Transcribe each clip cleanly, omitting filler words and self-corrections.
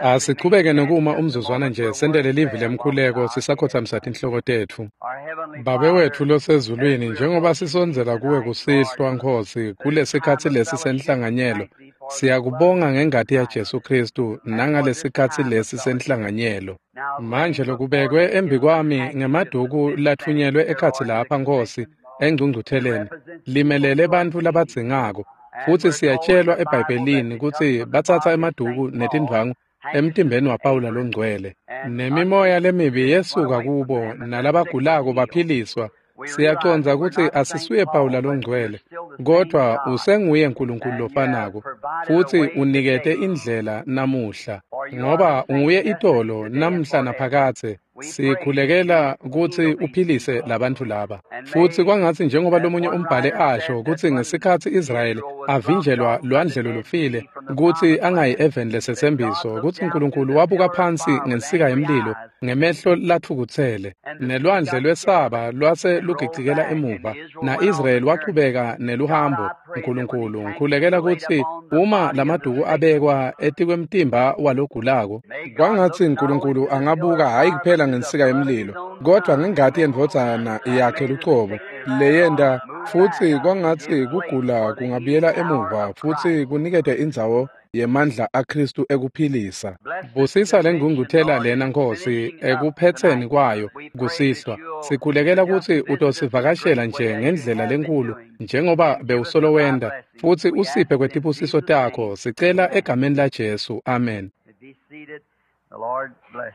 Asichubeke nokuma umzuzwana nje sentele livi lemkhuleko sisakhothamisa tinhloko tetfu. Babe wetfu losezulwini, njengoba sisondzela kuwe kusihlwa, Nkhosi, kulesikhatsi lesi senhlanganyelo, siyakubonga ngengati yaJesu Khristu nangalesikhatsi lesi senhlanganyelo. Manje lokubekwe embikwami ngemaduku latfunyelwe ekhatsi lapha, Nkhosi, engcungcutheleni, limelele bantfu labadzingako. Futsi siyatshelwa eBhayibhelini kutsi batsatsa emaduku netindvwangu emtimbeni waPawula longcwele. Nemimoya lemibi yesuka kubo, nalabagulako baphiliswa. Siyacondza kutsi asisuye Pawula longcwele, kodvwa usenguye Nkulunkulu lofanako, futsi unikete indlela namuhla. Ngoba unguye itolo, namhla naphakadze. Sikhulekela kutsi uphilise labantfu laba. Futsi kwangatsi njengoba lomunye umbhali asho kutsi ngesikhatsi Israyeli avinjelwa lwandle lolufile kutsi angayi eveni lesetsembiso, kutsi Nkulunkulu wabuka phansi ngensika yemlilo ngemehlo latfukutsele, nelwandle lwesaba lwase lugicikela emuva, na-Israyeli wachubeka neluhambo. Nkulunkulu, ngikhulekela kutsi uma lamaduku abekwa etikwemtimba walogulako, kwangatsi Nkulunkulu angabuka hhayi kuphela ngensika yemlilo, kodvwa ngengati yendvodzana yakhe lucobo leyenta, futsi kwangatsi kugula kungabuyela emuva futsi kunikete indzawo yemandla aKhristu ekuphilisa. Busisa lengcungcuthela lena, Nkhosi, ekuphetseni kwayo kusihlwa. Sikhulekela kutsi utosivakashela nje ngendlela lenkhulu njengoba bewusolo wenta, futsi usiphe kwetibusiso takho. Sicela egameni laJesu. Amen. Be seated. The Lord bless.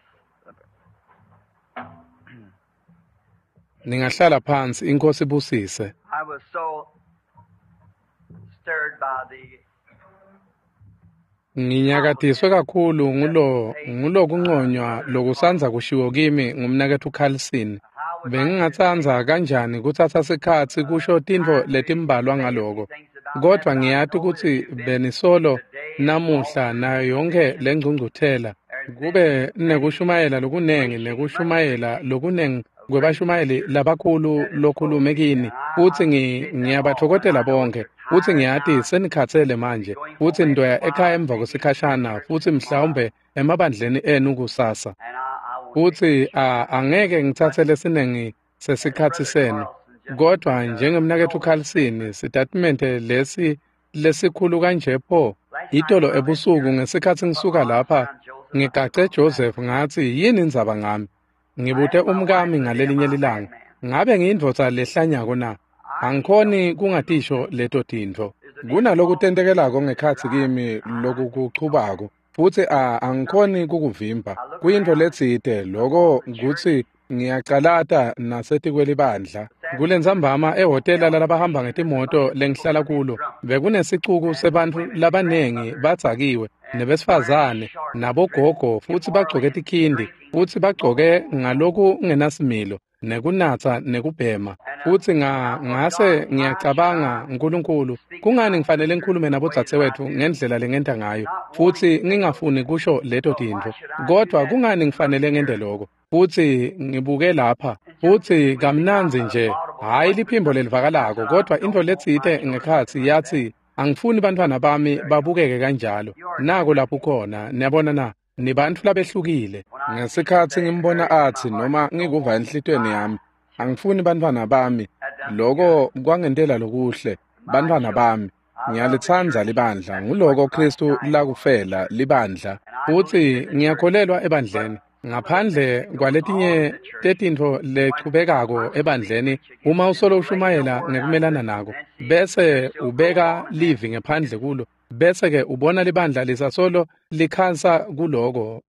Ningahlala phansi, iNkhosi ibusise. I was so stirred by the Nginyakatiswe kakhulu ngulokunconywa lokusandza kushiwo kimi ngumnaketfu Carlson. Bengingatsandza kanjani kutsatsa sikhatsi kusho tintfo letimbalwa ngaloko, kodvwa ngiyati kutsi benisolo namuhla nayo yonkhe lengcungcuthela kube nekushumayela lokunengi nekushumayela lokunengi kwebashumayeli labakhulu lokhulume kini, futsi ngiyabatfokotela bonkhe. Futsi ngiyati senikhatsele manje, futsi nitoya ekhaya emva kwesikhashana, futsi mhlawumbe emabandleni enu kusasa. And I won't Futsi angeke ngitsatse lesinengi sesikhatsi senu, kodvwa njengemnaketfu Carlson, sitatimende lesi lesikhulu kanje pho. Itolo ebusuku ngesikhatsi ngisuka lapha, ngigace Joseph ngatsi, yini indzaba ngami? Ngibute umkami ngalelinye lilanga, ngabe ngiyindvodza lehlanyako na? Angikhoni kungatisho leto tintfo. Kunalokutentekelako ngekhatsi kimi lokukuchubako, futsi angikhoni kukuvimba. Kuyintfo letsite loko kutsi ngiyacalata nasetikwelibandla. Kulentsambama ehhotela lalabahamba ngetimoto lengihlala kulo, bekunesicuku sebantfu labanengi badzakiwe, nebesifazane, nabogogo, futsi bagcoke tikhindi, futsi bagcoke ngalokungenasimilo, nekunatsa nekubhema. Futsi ngase ngiyacabanga, Nkulunkulu, kungani ngifanele ngikhulume nabodzadzewetfu ngendlela lengenta ngayo, futsi ngingafuni kusho leto tintfo, kodvwa kungani ngifanele ngente loko? Futsi ngibuke lapha, futsi kamnandzi nje, hhayi liphimbo lelivakalako, kodvwa intfo letsite ngekhatsi yatsi, angifuni bantfwana bami babukeke kanjalo. Nako lapho ukhona, niyabona na? Nibantfu labehlukile. Ngesikhatsi ngimbona atsi noma ngikuva enhlitiyweni yami, angifuni bantfwana bami, loko kwangentela lokuhle, bantfwana bami. Ngiyalitsandza libandla, nguloko Khristu lakufela libandla. Futsi ngiyakholelwa ebandleni. Ngaphandle kwaletinye tetintfo lechubekako ebandleni, uma usolo ushumayela ngekumelana nako, bese ubeka livi ngephandle kulo, bese ke ubona libandla lisasolo likhansa kuloko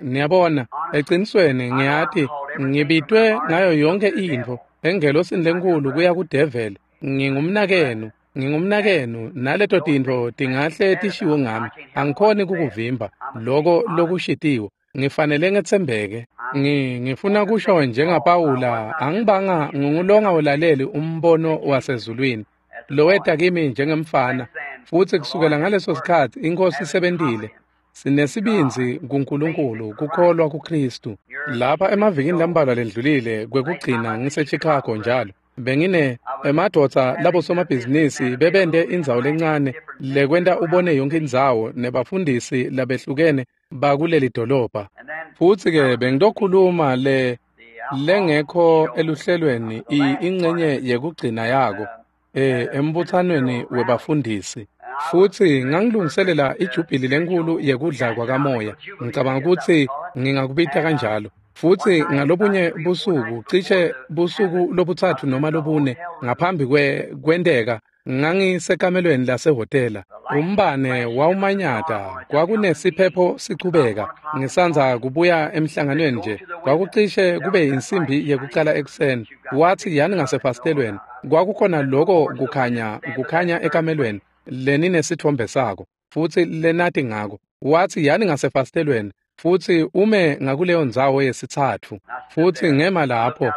niyabona, ecinisweni ngiyati ngibitwe ngayo yonke intfo engelosini lenkhulu kuya kudeveli. Ngingumnakenu, naleto tintfo tingahle tishiwo ngami. Angikhoni kukuvimba loko lokushitiwe. Ngifanele ngetsembeke. Ngifuna kusho njengaPawula, angibanga ngungulonga ulaleli umbono wasezulwini loweta kimi njengemfana, futsi kusukela ngaleso sikhatsi iNkhosi isebentile. Sinesibindzi kuNkulunkulu, kukholwa kuKhristu. Lapha emavikini lambalwa lendlulile kwekugcina ngise Chicago njalo. Bengine emadvodza labosomabhizinisi bebente indzawo lencane lekwenta ubone yonke indzawo nebafundisi labehlukene bakuleli dolobha. Futsi-ke bengitokhuluma lengekho eluhlelweni ingcenye yekugcina yako embuthanweni webafundisi. Futsi ngangilungiselela ijubhili lenkulu yekudla kwakamoya. Ngicabanga ukuthi ngingakubita kanjalo. Futsi ngalobunye busuku, cishe busuku lobutsatfu noma lobune ngaphambi kwenteka, ngangisekamelweni lasehhotela. Umbane wawumanyata, kwakunesiphepho sichubeka. Ngisandza kubuya emhlanganweni nje, kwakucishe kube insimbi yekucala ekuseni. Wathi yani ngasefasitelweni, kwakukhona loko kukhanya ekamelweni leninesithombe sako, futsi lenati ngako. Wathi yani ngasefasitelweni, futsi ume ngakuleyo ndzawo yesitsatfu. Futsi ngema lapho,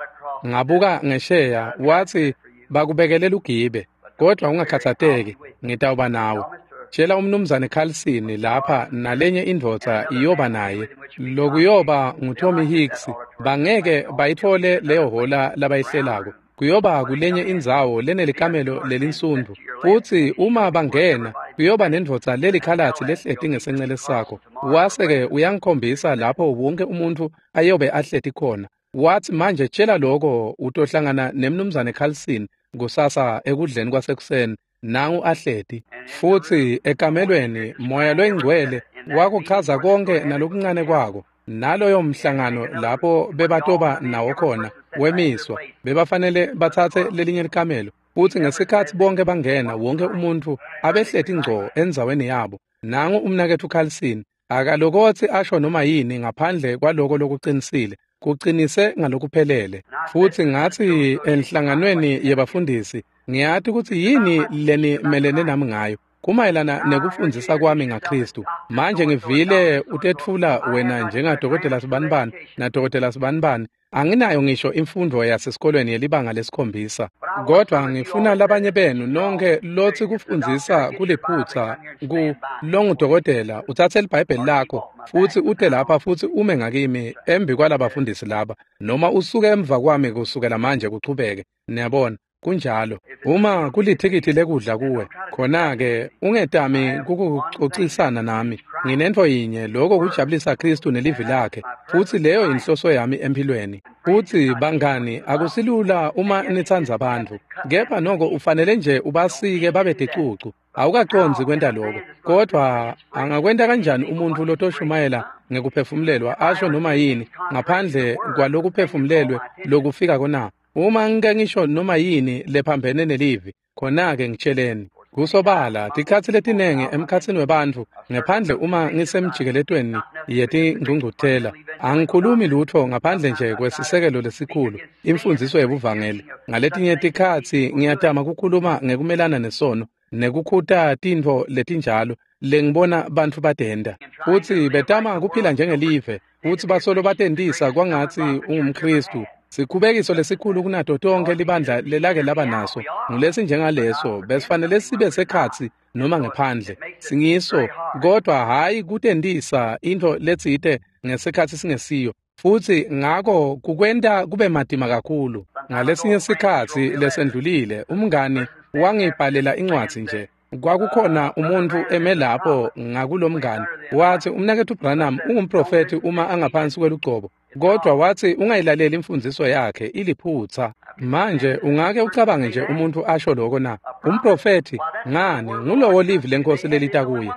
ngabuka ngesheya, wathi bakubekele lugibe, kodwa ungakhathazeki, ngitawuba nawe. Tshela umnumzane Carlson lapha nalenye indvodza iyoba naye. Lokuyoba nguTommy Hicks, bangeke bayithole leyo hola labayihlelako. Kuyoba kulenye indzawo lenelikamelo lelinsundu. Futsi uma bangena, kuyoba nendvodza lelikhalatsi lehleti ngesencele sakho. Wase-ke uyangikhombisa lapho wonke umuntfu ayobe ahleti khona. Wathi manje tshela loko utohlangana nemnumzane Carlson kusasa ekudleni kwasekuseni. Nangu ahleti. Futsi ekamelweni moya loyingcwele wakuchaza konke nalokuncane kwako. Naloyo mhlangano lapho bebatoba nawo khona wemiswa, bebafanele batsatse lelinye likamelo. Futsi ngesikhatsi bonke bangena, wonke umuntfu abehleti ngco endzaweni yabo. Nangu umnaketfu Carlson akalokotsi asho noma yini ngaphandle kwaloko lokuqinisile, kuqinise ngalokuphelele. Futsi ngathi enhlanganweni yebafundisi, ngiyati kutsi yini lenimelene nami ngayo. Kumayelana nekufundzisa kwami ngaKristu. Manje ngivile utetfula wena njengadokotela Sibanibani nadokotela Sibanibani. Anginayo ngisho imfundo yasesikolweni yelibanga lesikhombisa. Kodwa ngifuna labanye benu nonke lotsi kufundzisa kuliphutsa ku longudokotela utsatse liBhayibheli lakho futsi ute lapha futsi ume ngakimi embi kwalabafundisi laba, noma usuke emva kwami kusukela manje kuchubeke. Niyabona, kunjalo. Uma kulithikithi lekudla kuwe, khona-ke ungetami kukucocisana nami. Nginentfo yinye, lokho kujabulisa Kristu nelivi lakhe, futsi leyo inhloso yami empilweni. Futsi bangani, akusilula uma nitsandza abantu, kepha noko ufanele nje ubasike babe ticucu. Awukacondzi kwenta lokho, kodwa angakwenta kanjani umuntfu lotoshumayela ngekuphefumulelwa asho noma yini ngaphandle kwalokuphefumulelwe lokufika kona? Uma ngike ngisho noma yini lephambene nelivi, khona-ke ngitsheleni. Kusobala, tikhatsi letinengi emkhatsini webantfu, ngephandle uma ngisemjikeletweni yetingcungcuthela, angikhulumi lutho ngaphandle nje kwesisekelo lesikhulu, imfundziso yebuvangeli. Ngaletinye tikhatsi ngiyatama kukhuluma ngekumelana nesono, nekukhuta tintfo letinjalo lengibona bantfu batenta. Futsi betama kuphila njengelive, futsi basolo batentisa kwangatsi ungumKristu. Sikhubekiso lesikhulu kunato tonke libandla lelake laba naso ngulesi njengaleso, besifanele sibe sekhatsi noma ngephandle. Singiso, kodwa hhayi kutentisa intfo letsite ngesikhatsi singesiyo. Futsi ngako kukwenta kube matima kakhulu. Ngalesinye sikhatsi lesendlulile, umngani wangibhalela incwadzi nje. Kwakukhona umuntfu eme lapho ngakulomngani, wathi umnaketfu Branham ungumprofethi uma angaphansi kwelugcobo, kodwa wathi ungayilaleli imfundziso yakhe, iliphutsa. Manje ungake ucabange nje umuntfu asho lokho na? Umprofethi ngani ngulowo livi lenkosi lelita kuye.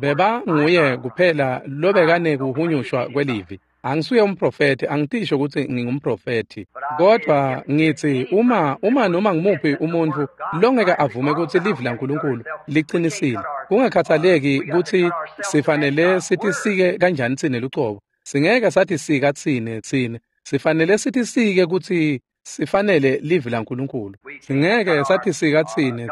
Beba nguye kuphela lobekane kuhunyushwa kwelivi. Angisuye umprofethi, angitisho ukuthi ngingumprofethi, kodwa ngithi uma noma ngumuphi umuntfu longeke avume ukuthi livi laNkulunkulu liqinisile, kungakhathaleki ukuthi sifanele sitisike kanjani tsine lucobo, singeke satisika tsine, sifanele sitisike ukuthi sifanele livi laNkulunkulu. Singeke satisika tsine,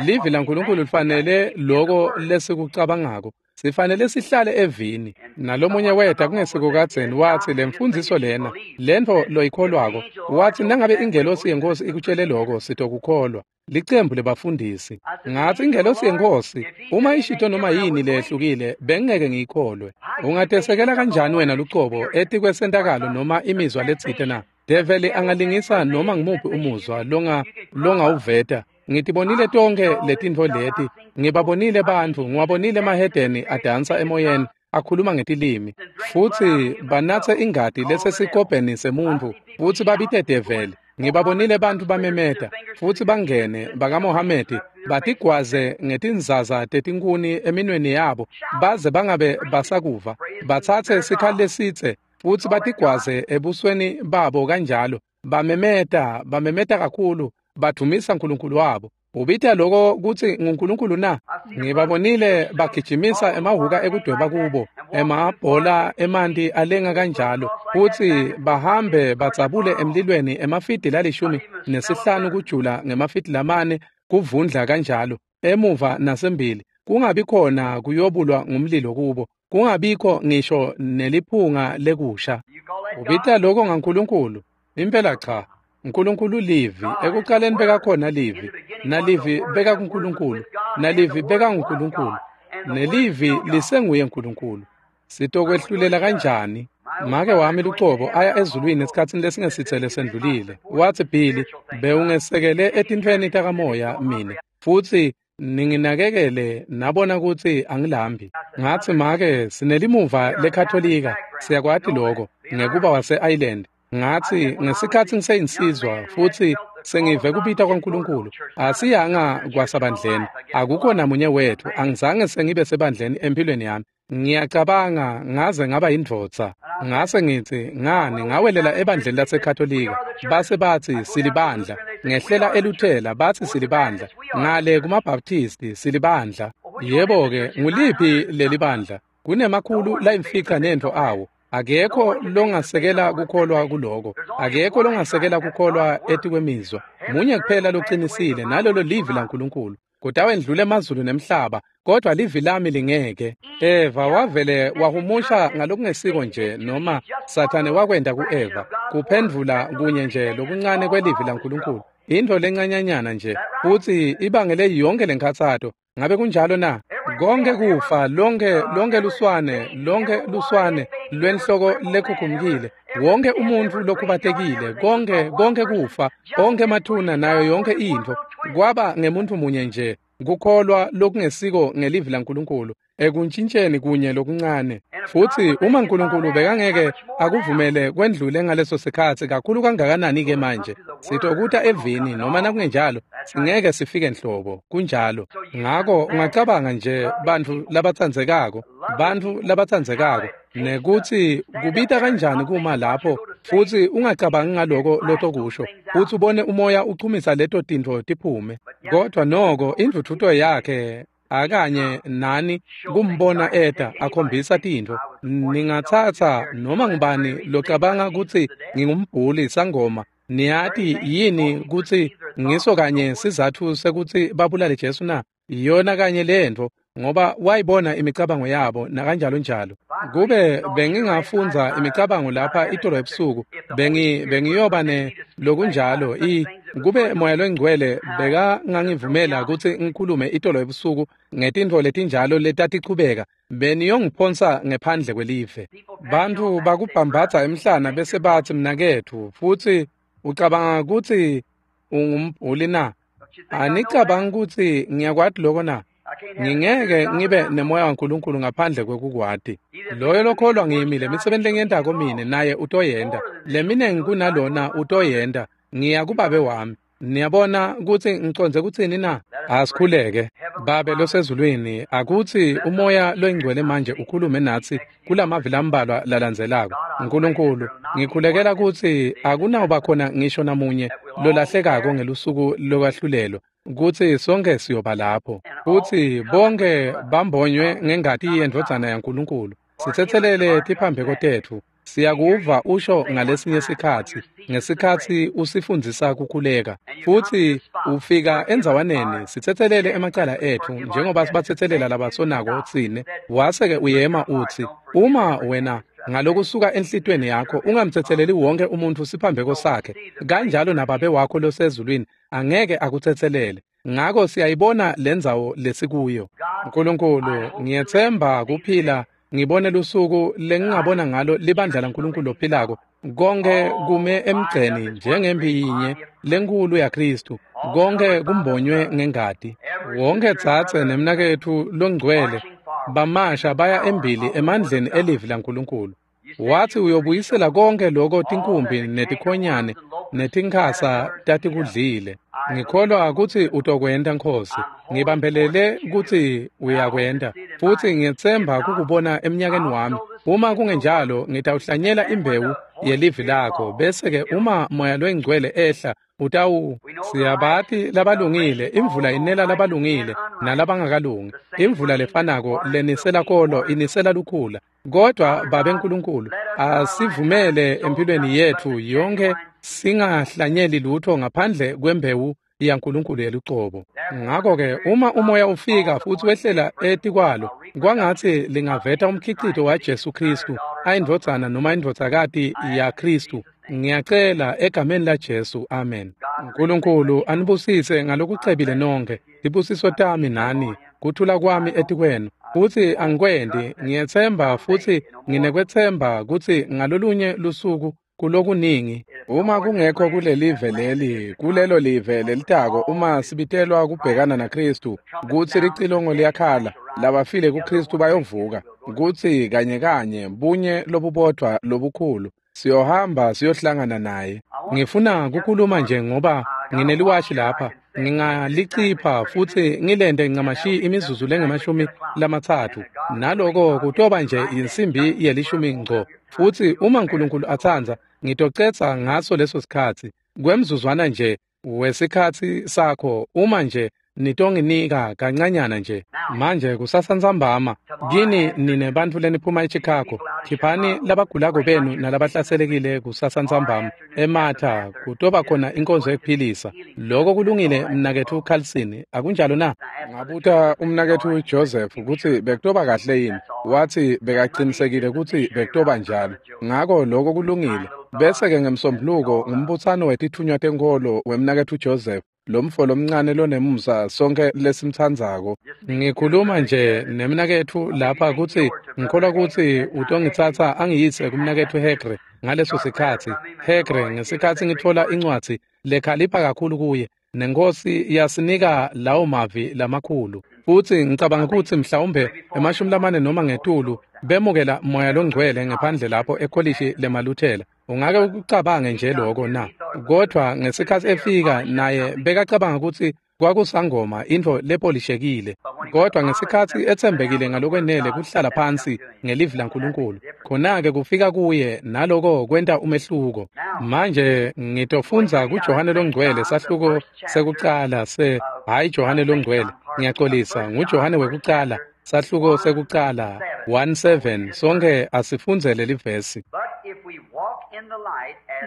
livi laNkulunkulu lifanele loko lesikucabangako. Sifanele sihlale evini. Nalomunye weta kungesiko kadzeni wathi lemfundziso lena, lentfo loyikholwako, wathi nangabe ingelosi yenkosi ikutshele lokho, sitokukholwa. Licembu lebafundisi. Ngathi ingelosi yenkosi, uma ishito noma yini lehlukile, bengeke ngiyikholwe. Ungatesekela kanjani wena lucobo etikwesentakalo noma imizwa letsite na? Develi angalingisa noma ngimuphi umuzwa longawuveta. Ngitibonile tonke letintfo leti, ngibabonile bantfu, ngiwabonile emahedeni adansa emoyeni, akhuluma ngetilimi, futsi banatse ingati lesesikobheni semuntfu, futsi babite develi. Ngibabonile bantfu bamemeta, futsi bangene bakaMohamedi, batigwaze ngetinzaza tetinkhuni eminweni yabo, baze bangabe basakuva, batsatse sikhali lesitse, futsi batigwaze ebusweni babo kanjalo, bamemeta, bamemeta kakhulu, badumisa uNkulunkulu wabo. Ubita lokho kutsi nguNkulunkulu na? Ngibabonile bagijimisa emahhuka ekudweba kubo, emabhola emanti alenga kanjalo, futsi bahambe badzabule emlilweni emafidi 15 kujula ngemafidi 4 kuvundla kanjalo, emuva nasembili, kungabi khona kuyobulwa ngumlilo kubo, kungabikho ngisho neliphunga lekusha. Ubita lokho ngaNkulunkulu? Impela cha. uNkulunkulu livi, ekuqaleni bekakhona livi, nalivi bekakuNkulunkulu, nalivi bekanguNkulunkulu, nelivi lisenguye uNkulunkulu. Sitokwehlulela kanjani? Make wami lucobo aya ezulwini esikhatsini lesingesitsele sendlulile. Watsi, Billy, bewungesekele etintfweni takamoya mine, futsi ninginakekele nabona kutsi angilambi. Ngatsi, make, sinelimuva leKatolika, siyakwati lokho, ngekuba wase-Ireland. Ngatsi, ngesikhatsi ngiseyinsizwa futsi sengive kubita kwaNkulunkulu, asiyanga kwasabandleni, akukho namunye wethu, angizange sengibe sebandleni empilweni yami. Ngiyacabanga ngaze ngaba yindvodza. Ngase ngitsi, ngani ngawelela ebandleni laseKatolika, base batsi silibandla, ngehlela eLuthela batsi silibandla, ngale kumaBaptisti silibandla. Yebo-ke, nguliphi lelibandla? Kunemakhulu layimfica nentfo awo. Akekho longasekela kukholwa kuloko. Akekho longasekela kukholwa etikwemizwa. Munye kuphela loqinisile, nalolo livi laNkulunkulu. Kutawendlula emazulu nemhlaba, kodwa livi lami lingeke. Eva wavele wahumusha ngalokungesiko nje, noma Sathane wakwenta ku-Eva, kuphendvula kunye nje lokuncane kwelivi laNkulunkulu. Intfo lencanyanyana nje, futsi ibangele yonke lenkhatsato. Ngabe kunjalo na? Konke kufa, lonke luswane, lonke luswane lwenhloko lekhukhumkile, wonke umuntfu lokhubatekile, konke kufa, onke emathuna nayo yonke intfo, kwaba ngemuntfu munye nje, kukholwa lokungesiko ngelivi laNkulunkulu, ekuntshintsheni kunye lokuncane. Futsi uma uNkulunkulu bekangeke akuvumele kwendlule ngaleso sikhatsi, kakhulu kangakanani-ke manje? Sitokuta evini, noma nakungenjalo, singeke sifike nhlobo. Kunjalo. Ngako ungacabanga nje bantfu labatsandzekako, bantfu labatsandzekako, nekutsi kubita kanjani kuma lapho, futsi ungacabangi ngaloko lotokusho, futsi ubone umoya uchumisa leto tintfo tiphume. Kodwa noko indvudvuto yakhe akanye nani kumbona eta akhombisa tintfo. Ningatsatsa noma ngubani locabanga kutsi ngingumbhuli sangoma. Niyati yini kutsi ngiso kanye sizatfu sekutsi babulale Jesu na? Iyona kanye lentfo, ngoba wayibona imicabango yabo nakanjalo njalo. Kube bengingafundza imicabango lapha itolo ebusuku, bengiyoba ne lokunjalo. Kube Moya loNgcwele bekangangivumela kutsi ngikhulume itolo ebusuku ngetintfo letinjalo letatichubeka, beniyongiphonsa ngephandle kwelive. Bantfu bakubhambatsa emhlana bese batsi, mnaketfu, futsi ucabanga kutsi ungumbhuli na? Anicabangi kutsi ngiyakwati lokho na? Ngingeke ngibe nemoya waNkulunkulu ngaphandle kwekukwati. Loyo lokholwa ngimi, lemisebenti lengiyentako mine naye utoyenta, leminengi kunalona utoyenta. Ngiya kuBabe wami. Niyabona kutsi ngicondze kutsini na? Asikhuleke. Babe losezulwini, akutsi umoya loyingcwele manje ukhulume natsi kulamavi lambalwa lalandzelako. Nkulunkulu, ngikhulekela kutsi akunawuba khona ngisho namunye lolahlekako ngelusuku lokwahlulelwa, kutsi sonke siyoba lapho, futsi bonke bambonywe ngengati yendvodzana yaNkulunkulu. Sitsetselele tiphambeko tetfu. Siyakuva usho ngalesinye sikhatsi, ngesikhatsi usifundzisa kukhuleka, futsi ufika endzawaneni, sitsetselele emacala etfu njengoba sibatsetselela labasonako tsine. Wase-ke uyema utsi, uma wena ngalokusuka enhlitiyweni yakho ungamtsetseleli wonke umuntfu siphambeko sakhe, kanjalo naBabe wakho losezulwini angeke akutsetselele. Ngako siyayibona lendzawo lesikuyo. Nkulunkulu, ngiyetsemba kuphila ngibone lusuku lengingabona ngalo libandla laNkulunkulu lophilako Konke kume emgceni njengempi yinye lenkulu yaKristu. Konke kumbonywe ngengati. Wonke dzadze nemnaketfu longcwele bamasha baya embili emandleni elivi laNkulunkulu. Wathi uyobuyisela konke lokho tinkumbi netikhonyane netinkhasa tatikudlile. Ngikholwa kutsi utokwenta Nkhosi. Ngibambelele kutsi uyakwenta futsi ngiyetsemba kukubona eminyakeni wami. Uma kungenjalo ngitawuhlanyela imbewu yelivi lakho bese-ke uma Moya loyiNgcwele ehla utawu siyabati labalungile. Imvula inela labalungile nalabangakalungi. Imvula lefanako lenisela kolo inisela lukhula. Kodwa Babe Nkulunkulu, asivumele empilweni yetfu yonke singahlanyeli lutho ngaphandle kwembewu yaNkulunkulu yelucobo. Ngakho-ke uma umoya ufika futsi wehlela etikwalo, kwangatsi lingaveta umkhicito waJesu Khristu, ayindvodzana noma indvodzakati yaKhristu. Ngiyacela egameni laJesu, amen. Nkulunkulu anibusise ngalokucebile nonkhe. Tibusiso tami nani, kuthula kwami etikwenu. Futsi angikwenti, ngiyetsemba futsi nginekwetsemba kutsi ngalolunye lusuku kulokuningi. Uma kungekho kulelive leli, kulelo live lelitako, uma sibitelwa kubhekana naKristu, kutsi licilongo liyakhala, labafile kuKristu bayovuka, kutsi kanye kanye bunye lobubodvwa lobukhulu siyohamba siyohlangana naye. Ngifuna kukhuluma nje ngoba ngineliwashi lapha, ngingalicipha futsi ngilente ncamashi imizuzu lengamashumi-30, naloko kutoba nje insimbi yelishumi ngco. Futsi uma Nkulunkulu atsandza, ngitocetsa ngaso leso sikhatsi kwemzuzwana nje wesikhatsi sakho, uma nje nitonginika kancanyana nje. Manje kusasa ntsambama kini nine bantfu leniphuma eChicago, khiphani labagulako benu nalabahlaselekile kusasa ntsambama eMatha, kutoba khona inkonzo yekuphilisa. Loko kulungile mnaketfu Carlson, akunjalo na? Ngabuta umnaketfu Joseph kutsi bekutoba kahle yini, wathi bekaqinisekile kutsi bekutoba njalo. Ngako loko kulungile. Bese-ke ngemsombuluko ngumbutsano wetitfunywa tenkholo wemnaketfu Joseph, lomfo lomncane lonemusa sonke lesimtsandzako. Ngikhuluma nje nemnaketfu lapha kutsi ngikholwa kutsi utongitsatsa angiyise kumnaketfu Hegre ngaleso sikhatsi. Hegre, ngesikhatsi ngitfola incwadzi lekhalipha kakhulu kuye, neNkhosi yasinika lawo mavi lamakhulu. Futsi ngicabanga kutsi mhlawumbe 40 noma ngetulu bemukela Moya loNgcwele ngephandle lapho ekolishi lemaLuthela. Ungake ukucabange nje lokho na? Kodwa ngesikhatsi efika naye bekacabanga kutsi kwakusangoma, intfo lepolishekile. Kodwa ngesikhatsi etsembekile ngalokwenele kuhlala phansi ngelivi laNkulunkulu, khona-ke kufika kuye naloko kwenta umehluko. Manje ngitofundza kuJohane loNgcwele sahluko sekucala hhayi Johane loNgcwele, ngiyaxolisa, nguJohane wekucala, sahluko sekucala 1:7. Sonke asifundzele livesi.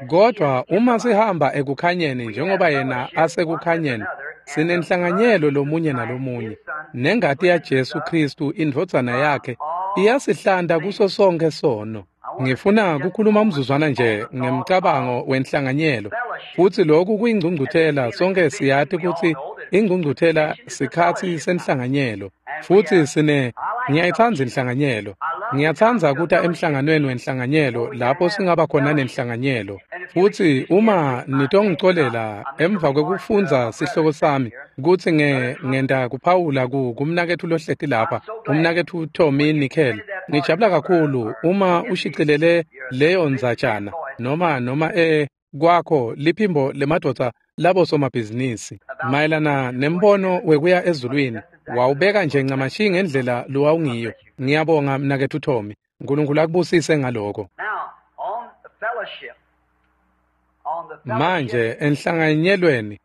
Kodwa uma sihamba ekukhanyeni njengoba yena asekukhanyeni, sinenhlanganyelo lomunye nalomunye, nengati yaJesu Khristu indvodzana yakhe iyasihlanta kuso sonke sono. Ngifuna kukhuluma umzuzwana nje ngemcabango wenhlanganyelo, futsi lokhu kuyingcungcuthela. Sonke siyati kutsi ingcungcuthela sikhatsi senhlanganyelo, futsi ngiyayitsandza inhlanganyelo. Ngiyatsandza kuta emhlanganweni wenhlanganyelo lapho singaba khona nenhlanganyelo. Futsi uma nitongicolela emva kwekufundza sihloko sami kutsi ngenta kuphawula kumnaketfu lohleti lapha, umnaketfu Tommy Nickel. Ngijabula kakhulu uma ushicilele leyo ndzatjana noma kwakho liphimbo lemadvodza labosomabhizinisi mayelana nembono wekuya ezulwini. Wawubeka nje ncamashi ngendlela lowawungiyo. Ngiyabonga mnaketfu Tommy. Nkulunkulu akubusise ngaloko. Manje enhlanganyelweni,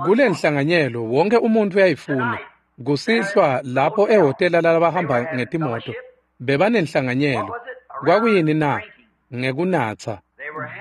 kule nhlanganyelo wonke umuntu uyayifuna. Kusihlwa lapho ehhotela lalabahamba ngetimoto bebanenhlanganyelo. Kwakuyini na? Ngekunatsa.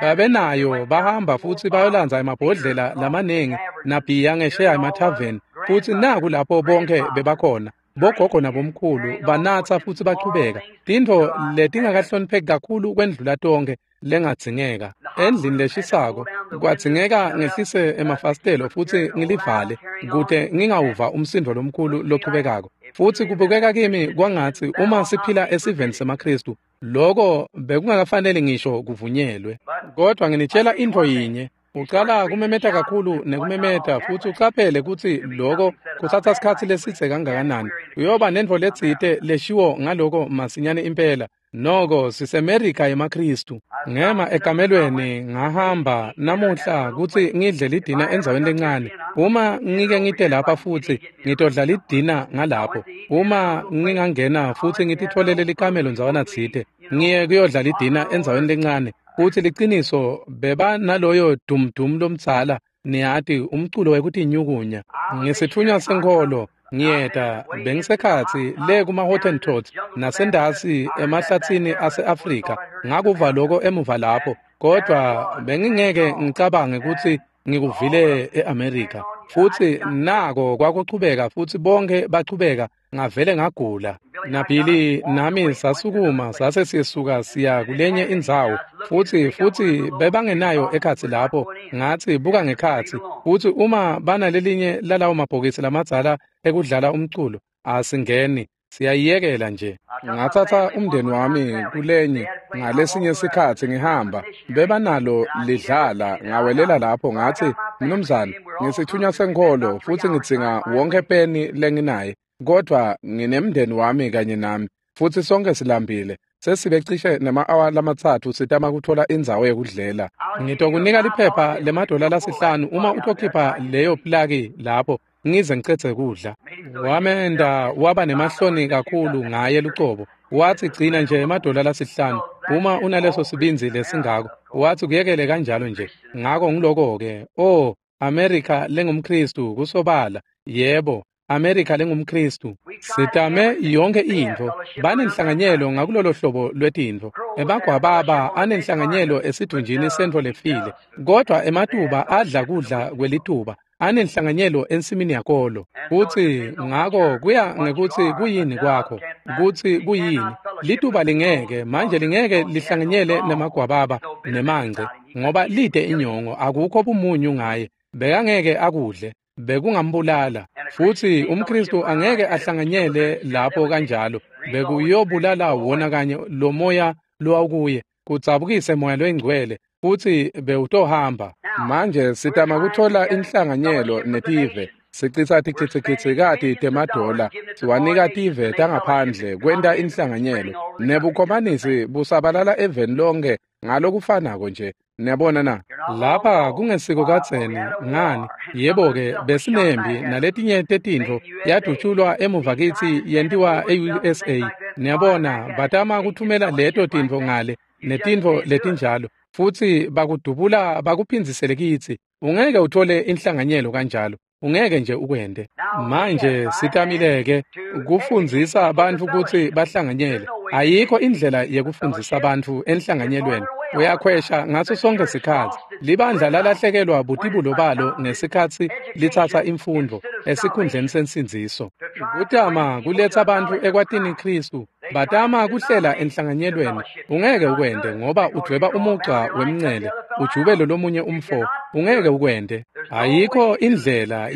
Babenayo, bahamba futsi bayolandza emabhodlela lamanengi nabhiya ngesheya emathaveni, futsi naku lapho bonke bebakhona, bogogo nabomkhulu banatsa futsi bachubeka. Tintfo letingakahlonipheki kakhulu kwendlula tonkhe lengadzingeka. Endlini leshisako kwadzingeka ngehlise emafasitelo futsi ngilivale kute ngingawuva umsindo lomkhulu lochubekako. Futsi kubukeka kimi kwangatsi uma siphila esiveni semaKristu, Loko bekungakafanele ngisho kuvunyelwe. Kodwa nginitshela intfo yinye, ucala kumemeta kakhulu nekumemeta futsi ucaphele kutsi loko kutsatsa sikhatsi lesidze kangakanani. Uyoba nentfo letsite leshiwo ngaloko masinyane impela. Noko siseMerika yemaKhristu. Ngema ekamelweni ngahamba namuhla kutsi ngidle lidina endzaweni lencane. Uma ngike ngite lapha futsi ngitodla lidina ngalapho. Uma ngingangena futsi ngititfolele likamelo ndzawana tsite, ngiye kuyodla lidina endzaweni lencane. Futsi liciniso beba naloyo dumdum lomdzala, niyati, umculo wekutinyukunya. Ngisitfunywa senkholo. Ngiyeta bengisekhatsi le kuma-Hottentots nasendasi emahlatsini ase-Afrika. Ngakuva loko emuva lapho, kodvwa bengingeke ngicabange kutsi ngikuvile e-Amerika. Futsi nako kwakuchubeka futsi bonke bachubeka, ngavele ngagula. NaBilly nami sasukuma sase sisuka siya kulenye indzawo futsi bebangenayo ekhatsi lapho. Ngatsi buka ngekhatsi, futsi uma banalelinye lalawo mabhokisi lamadzala ekudlala umculo, asingeni, siyayiyekela nje. Ngatsatsa umndeni wami kulenye ngalesinye sikhatsi ngihamba, bebanalo lidlala, ngawelela lapho ngatsi, mnumzane, ngisitfunywa senkholo futsi ngidzinga wonke peni lenginaye, kodvwa nginemndeni wami kanye nami futsi sonke silambile. Sesibe cishe nema-awa 3 sitama kutfola indzawo yekudlela. Ngitokunika liphepha lemadola 5 uma utokhipha leyo plaki lapho ngize ngicedze kudla. Wamenda waba nemahloni kakhulu ngaye lucobo. Watsi gcina nje emadola 5 uma unaleso sibindzi lesingako. Watsi kuyekele kanjalo nje. Ngako ngiloko-ke. Oh, Amerika lengumKhristu kusobala. Yebo, Amerika lengumKhristu. Sitame yonke intfo. Banenhlanganyelo ngakulolo hlobo lwetintfo. Emagwababa anenhlanganyelo esidvunjini sentfo lefile. Kodwa ematuba adla kudla kwelituba. Anenhlanganyelo ensimini yakolo. Futsi ngako kuya ngekutsi kuyini kwakho, kutsi kuyini. Lituba lingeke, manje lingeke lihlanganyele nemagwababa nemangce, ngoba lide inyongo, akukho bumunyu ngaye. Bekangeke akudle, bekungambulala. Futsi umKhristu angeke ahlanganyele lapho kanjalo, bekuyobulala wona kanye lo moya lowawukuye, kudzabukise moya loyingcwele, futsi bewutohamba. Manje sitama kutfola inhlanganyelo netive, sicitsa tigitsigitsikati temadola, siwanika tive tangaphandle kwenta inhlanganyelo. Nebukhomanisi busabalala eveni lonke ngalokufanako nje. Niyabona na? Lapha kungesiko kadzeni ngani? Yebo-ke, besinembi naletinye tetintfo yadutshulwa emuva kitsi yentiwa e-USA. Niyabona, batama kuthumela leto tintfo ngale netintfo letinjalo, futsi bakudubula bakuphindzisele kitsi. Ungeke uthole inhlanganyelo kanjalo. Ungeke nje ukwente. Manje sitamileke kufundzisa abantu kutsi bahlanganyele. Ayikho indlela yekufundzisa abantu enhlanganyelweni. Uyakhwesha ngaso sonke sikhatsi. Libandla lalahlekelwa butibulo balo ngesikhatsi litsatsa imfundvo esikhundleni sensindziso. Kutama kuletsa abantu ekwatini Khristu. Batama kuhlela enhlanganyelweni. Ungeke ukwente ngoba udvweba umugca wemncele, ujube lomunye umfo. Ungeke ukwente. Ayikho indlela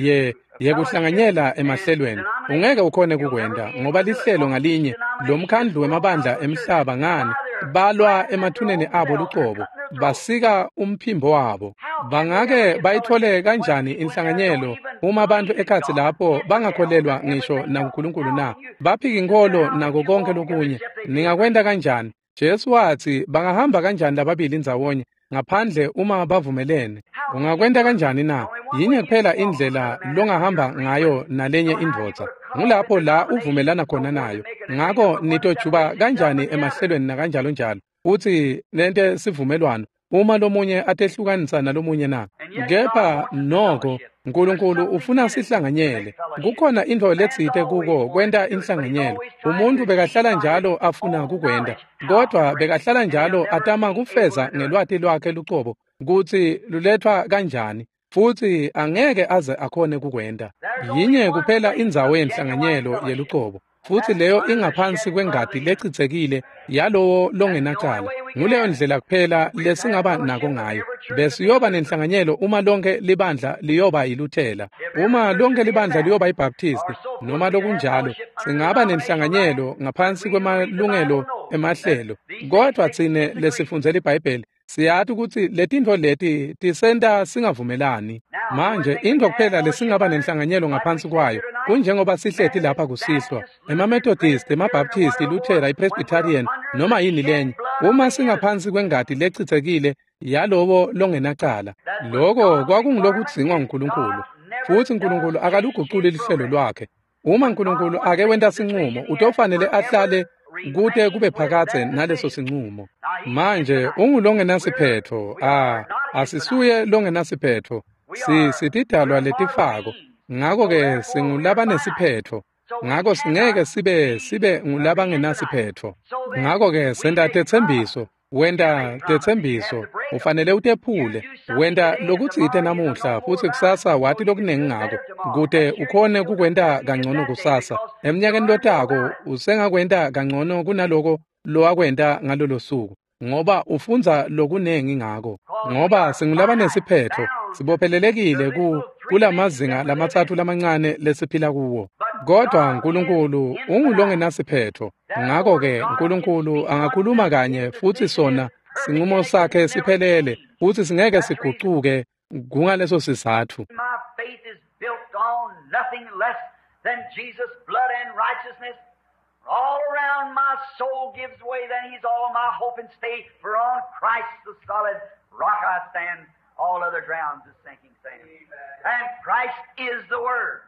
yekuhlanganyela emahlelweni. Ungeke ukhone kukwenta ngoba lihlelo ngalinye lomkhandlu wemabandla emhlaba ngani balwa emathuneni abo lucobo, basika umphimbo wabo. Bangake bayithole kanjani inhlanganyelo uma abantu ekhatsi lapho bangakholelwa ngisho nakuNkulunkulu na? Baphika inkholo nako konke lokunye. Ningakwenta kanjani? Jesu watsi bangahamba kanjani lababili ndzawonye ngaphandle uma bavumelene? Ungakwenta kanjani na? Yinye kuphela indlela longahamba ngayo nalenye indvodza. Ngulapho la uvumelana khona nayo. Ngako nitojuba kanjani emahlelweni nakanjalo njalo, futsi nente sivumelwano uma lomunye atehlukanisa nalomunye na? Kepha noko Nkulunkulu ufuna sihlanganyele. Kukhona intfo letsite kuko kwenta inhlanganyelo. Umuntu bekahlala njalo afuna kukwenta, kodvwa bekahlala njalo atama kufeza ngelwati lwakhe lucobo kutsi luletfwa kanjani, futsi angeke aze akhone kukwenta. Yinye kuphela indzawo yenhlanganyelo yelucobo, futsi leyo ingaphansi kwengati lecitsekile yalowo longenacala. Nguleyo ndlela kuphela lesingaba nako ngayo. Besiyoba nenhlanganyelo uma lonke libandla liyoba yiLuthela, uma lonke libandla liyoba yiBaptist, noma lokunjalo. Singaba nenhlanganyelo ngaphansi kwemalungelo emahlelo. Kodwa tsine lesifundzela iBhayibheli siyati ukuthi letintfo leti tisenta singavumelani. Manje intfo kuphela lesingaba nenhlanganyelo ngaphansi kwayo kunjengoba sihleti lapha kusihlwa, emaMethodist, emaBaptist, iLuthera, iPresbyterian noma yini lenye, uma singaphansi kwengati lechitsekile yalowo longenacala. Loko kwakungulokudzingwa nguNkulunkulu, futsi uNkulunkulu akaluguculi lihlelo lwakhe. Uma uNkulunkulu ake wenta sincumo, utofanele ahlale kute kube phakadze naleso sincumo. Manje ungulongenasiphetho, asisuye longenasiphetho, sitidalwa letifako, ngako-ke singulabanesiphetho, ngako singeke sibe ngulabangenasiphetho. Ngako-ke senta tetsembiso, wenta tetsembiso, ufanele utephule, wenta lokutsite namuhla futsi kusasa wati lokunengi ngako, kute ukhone kukwenta kangcono kusasa. Emnyakeni lotako usengakwenta kangcono kunaloko lowakwenta ngalolo suku, ngoba ufundza lokunengi ngako. Ngoba singulabanesiphetho, sibophelelekile kulamazinga lamatsatfu lamancane lesiphila kuwo. Kodwa uNkulunkulu ungulongenasiphetho, ngako-ke uNkulunkulu angakhuluma kanye futsi sona sinqumo sakhe siphelele futsi singeke sigucuke. Kungaleso sizatfu My faith is built on nothing less than Jesus' blood and righteousness. All around my soul gives way, then he's all my hope and stay. For on Christ the solid rock I stand, all other grounds is sinking sand. And Christ is the Word.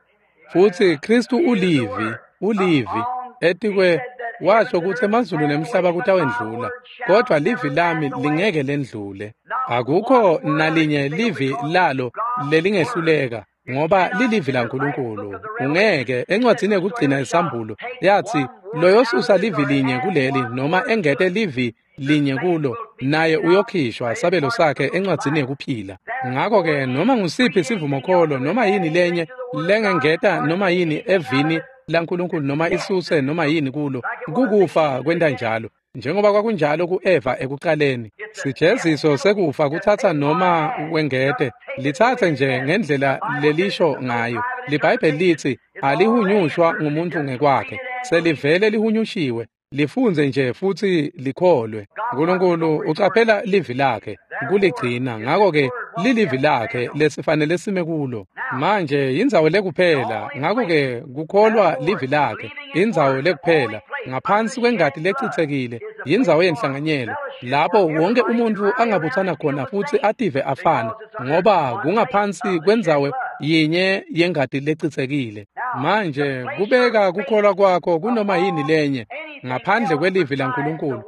Futsi Kristu ulivi, ulivi etikwe washo kutsi emazulu nemhlaba kutawendlula, kodwa livi lami lingeke lendlule. Akukho nalinye livi lalo lelingehluleka, ngoba lilivi laNkulunkulu. Ungeke encwadzini yekugcina isambulo yathi loyosusa livi linye kuleli noma engete livi linye kulo, naye uyokhishwa sabelo sakhe encwadzini yekuphila. Ngako-ke noma ngusiphi sivumokholo noma yini lenye lengengeta noma yini evini laNkulunkulu noma isuse noma yini kulo, kukufa kwenta njalo, njengoba kwakunjalo ku-Eva ekuqaleni. Sijeziso sekufa kutsatsa noma wengete, litsatse nje ngendlela lelisho ngayo. LiBhayibheli litsi alihunyushwa ngumuntu ngekwakhe, selivele lihunyushiwe, lifunze nje futsi likholwe. Nkulunkulu ucaphela livi lakhe kuligcina, ngako-ke lilivi lakhe lesifanele sime kulo. Manje indzawo lekuphela, ngako-ke kukholwa livi lakhe, indzawo lekuphela ngaphansi kwengati lechitsekile, yindzawo yenhlanganyelo lapho wonke umuntu angabutsana khona futsi ative afana, ngoba kungaphansi kwendzawo yinye yengati lechitsekile. Manje kubeka kukholwa kwakho kunoma yini lenye ngaphandle kwelivi laNkulunkulu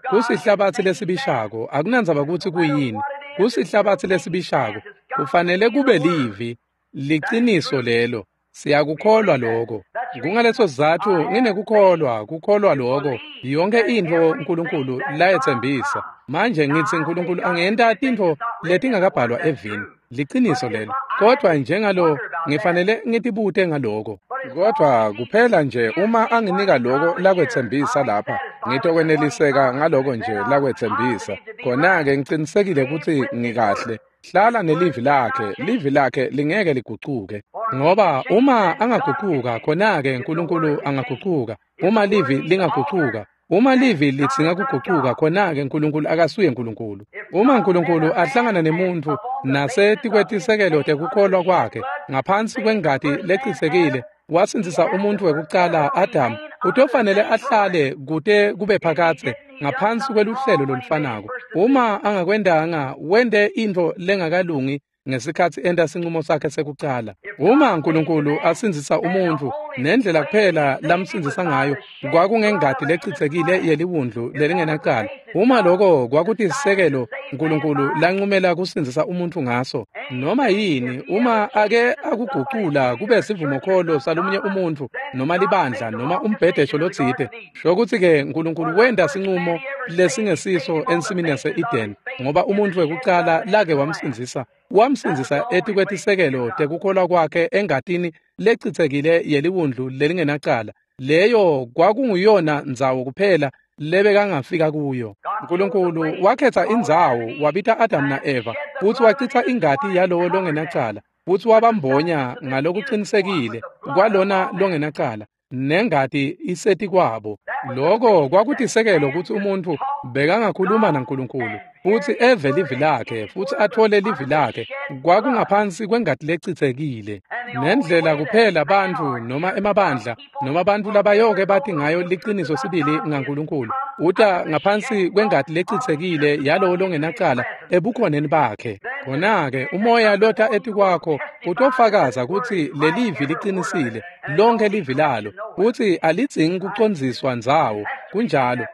kusihlabatsi lesibishako. Akunandzaba kutsi kuyini, kusihlabatsi lesibishako, kufanele kube livi liciniso lelo. Siyakukholwa lokho. Kungaleso sizatfu nginekukholwa, kukholwa lokho yonke intfo uNkulunkulu layetsembisa. Manje ngitsi uNkulunkulu angenta tintfo letingakabhalwa evini, liciniso lelo, kodwa njengalo ngifanele ngitibute ngaloko. Kodwa kuphela nje uma anginika lokho lakwetsembisa lapha, ngitokweneliseka ngaloko nje lakwetsembisa. Khona-ke ngicinisekile kutsi ngikahle. Hlala nelivi lakhe, livi lakhe lingeke ligucuke. Ngoba uma angagucuka, khona-ke uNkulunkulu angagucuka. Uma livi lingagucuka, uma livi lidzinga kugucuka, khona-ke uNkulunkulu akasuye uNkulunkulu. Uma uNkulunkulu ahlangana nemuntfu nasetikwetisekelo tekukholwa kwakhe ngaphansi kwengati lechitsekile, wasindzisa umuntfu wekucala Adamu, utofanele ahlale kute kube phakadze ngaphansi kweluhlelo lolufanako. Uma angakwendanga, wente intfo lengakalungi ngesikhatsi enta sincumo sakhe sekucala. Uma uNkulunkulu asindzisa umuntfu, nendlela kuphela lamsindzisa ngayo kwakungengati lechitsekile yeliwundlu lelingenacala. Uma loko kwakutisekelo uNkulunkulu lancumela kusindzisa umuntfu ngaso, noma yini, uma ake akugucula kube sivumokholo salomunye umuntfu noma libandla noma umbhedesho lotsite, shokutsi-ke uNkulunkulu wenta sincumo lesingesiso ensimini yase-Eden, ngoba umuntfu wekucala lake wamsindzisa, wamsindzisa etikwetisekelo tekukholwa kwakhe engatini lechitsekile yeliwundlu lelingenacala. Leyo kwakunguyona ndzawo kuphela lebekangafika kuyo. Nkulunkulu wakhetha indzawo, wabita Adamu na-Eva, futsi wachitsa ingati yalowo longenacala, futsi wabambonya ngalokucinisekile kwalona longenacala. nengati isetikwabo. Lokho kwakutisekelo kutsi umuntfu bekangakhuluma naNkulunkulu futsi eve livi lakhe futsi athole livi lakhe, kwakungaphansi kwengati lecitsekile. Nendlela kuphela bantfu noma emabandla noma bantfu labayoke bati ngayo liciniso sibili ngaNkulunkulu, uta ngaphansi kwengati lecitsekile yalowo longenacala ebukhoneni bakhe. Khona-ke umoya lota etikwakho utofakaza kutsi lelivi licinisile, lonke livi lalo, futsi alidzingi kucondziswa ndzawo. Kunjalo,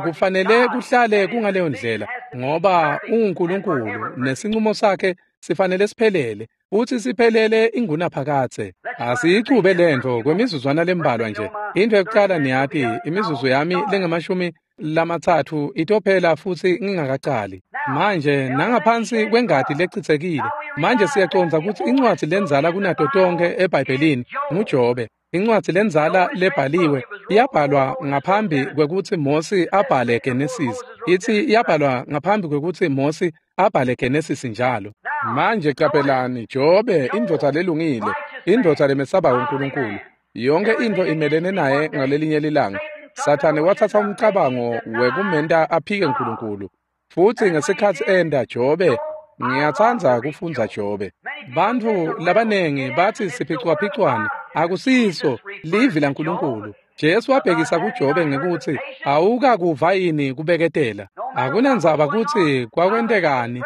kufanele kuhlale kungaleyo ndlela, ngoba unguNkulunkulu nesinqumo sakhe sifanele siphelele, futsi siphelele ingunaphakadze. Asiyicube lentfo kwemizuzwana lembalwa nje. Into yokucala niyati, imizuzu yami lengamashumi 30 itophela futsi ngingakacali. Manje nangaphansi kwengati lecitsekile, manje siyacondza kutsi incwadzi lendzala kunato tonkhe eBhayibhelini nguJobe. Incwadzi lendzala lebhaliwe iyabhalwa ngaphambi kwekutsi Mosi abhale Genesis. Itsi iyabhalwa ngaphambi kwekutsi Mosi abhale Genesis njalo. Manje qaphelani, Jobe, indvodza lelungile, indvodza lemesabako uNkulunkulu. Yonke intfo imelene naye ngalelinye lilanga. Sathane watsatsa umcabango wekumenta aphike uNkulunkulu. Futsi ngesikhatsi enta Jobe, ngiyatsandza kufundza Jobe. Bantfu labanengi batsi siphicwaphicwane, akusiso livi laNkulunkulu. Jesu wabhekisa kuJobe ngekutsi awukakuva yini kubeketela. Akunandzaba kutsi kwakwentekani,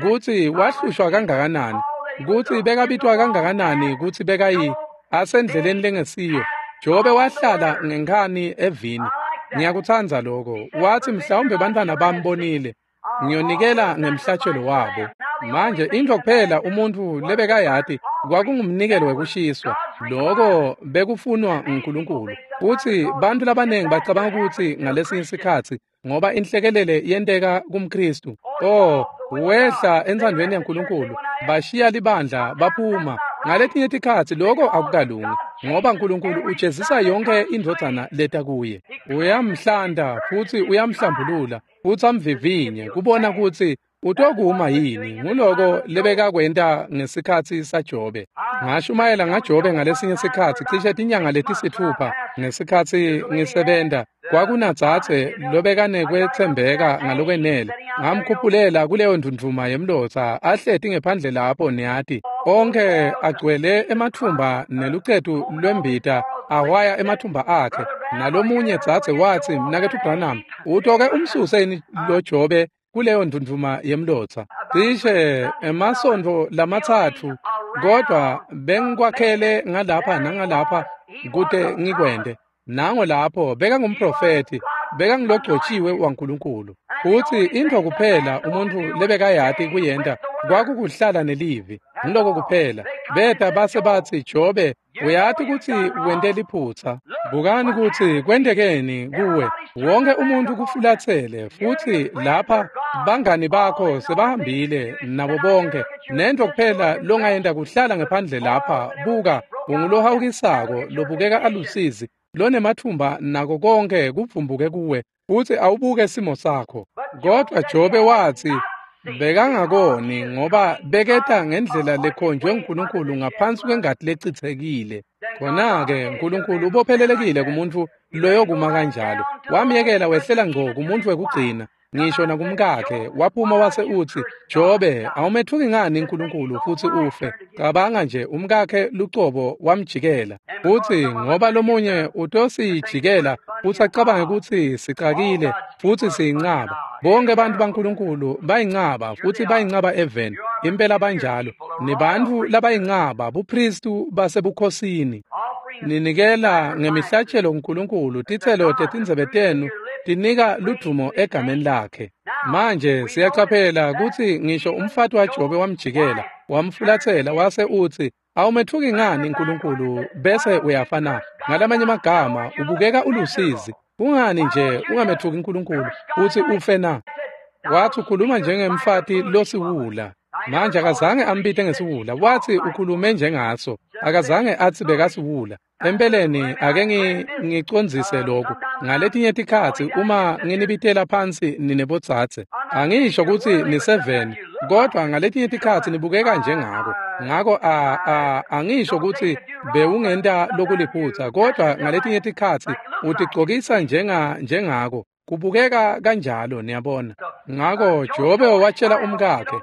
kutsi wahlushwa kangakanani, kutsi bekabitwa kangakanani, kutsi bekayi asendleleni lengesiyo. Jobe wahlala ngenkhani evini. Ngiyakutsandza lokho. Watsi mhlawumbe bantfwana bami bonile, ngiyonikela ngemhlatshelo wabo. Manje intfo kuphela umuntfu lebekayati kwakungumnikelo wekushiswa. Lokho bekufunwa nguNkulunkulu. Futsi bantfu labanengi bacabanga kutsi ngalesinye sikhatsi ngoba inhlekelele yenteka kumKristu, oh, wehla entsandvweni yaNkulunkulu, bashiya libandla baphuma. Ngaletinye tikhatsi lokho akukalungi, ngoba uNkulunkulu ujezisa yonke indvodzana leta kuye. Uyamhlanta futsi uyamhlambulula futsi amvivinye kubona kutsi utokuma yini. Nguloko lebekakwenta ngesikhatsi saJobe. Ngashumayela ngaJobe ngalesinye sikhatsi cishe tinyanga letisithupha ngesikhatsi ngisebenta. Kwakunadzadze lobekanekwetsembeka ngalokwenele. Ngamkhuphulela kuleyo ndvundvuma yemlotsa ahleti ngephandle lapho, niyati, onke agcwele emathumba nelucetu lwembita ahwaya emathumba akhe. Nalomunye dzadze watsi, Mnaketfu Branham, utoke umsuse yini lo Jobe kuleyo ndvundvuma yemlotsa? Cishe emasontfo 3, kodwa bengikwakhele ngalapha nangalapha kute ngikwente. Nango lapho bekangumprofethi, bekangilogcotshiwe waNkulunkulu. Futsi intfo kuphela umuntfu lebekayati kuyenta kwakukuhlala nelivi. Ngiloko kuphela. Beta base batsi, Jobe, uyati kutsi wente liphutsa. Bukani kutsi kwentekeni kuwe. Wonke umuntfu kufulatsele, futsi lapha bangani bakho sebahambile nabo bonke. Nentfo kuphela longayenta kuhlala ngephandle lapha. Buka, ungulohawukisako lobukeka alusizi, lonemathumba nako konke kuvumbuke kuwe, futsi awubuke simo sakho. Kodwa Jobe watsi bekangakoni ngoba beketa ngendlela lekhonjwe nguNkulunkulu ngaphansi kwengati lecitsekile. Khona-ke uNkulunkulu ubophelelekile kumuntfu loyokuma kanjalo. Wamyekela wehlela ngco kumuntfu wekugcina, ngisho nakumkakhe. Waphuma wase utsi, Jobe, awumetfuki ngani uNkulunkulu futsi ufe? Cabanga nje, umkakhe lucobo wamjikela. Futsi ngoba lomunye utosijikela futsi acabange kutsi sicakile futsi siyincaba. Bonke bantfu baNkulunkulu bayincaba futsi bayincaba eveni. Impela banjalo. Nibantfu labayincaba buphristu basebukhosini. Ninikela ngemihlatshelo kuNkulunkulu, titselo tetindzebe tenu tinika ludvumo egameni lakhe. Manje siyacaphela kutsi ngisho umfati waJobe wamjikela, wamfulatsela wase utsi, awumetfuki ngani uNkulunkulu bese uyafa na? Ngalamanye amagama, ubukeka ulusizi. Kungani nje ungametfuki uNkulunkulu utsi ufe na? Wathi ukhuluma njengemfati losiwula. Manje akazange ambite ngesiwula, wathi ukhulume njengaso. Akazange athi bekasiwula. Empeleni ake ngicondzise lokhu. Ngaletinye tikhatsi uma nginibitela phansi ninebodzadze, angisho kutsi ni7, kodwa ngaletinye tikhatsi nibukeka njengako. Ngako angisho kutsi bewungenta lokuliphutsa, kodwa ngaletinye tikhatsi utigcokisa njengako. Kubukeka kanjalo, niyabona. Ngako Jobe watshela umkakhe,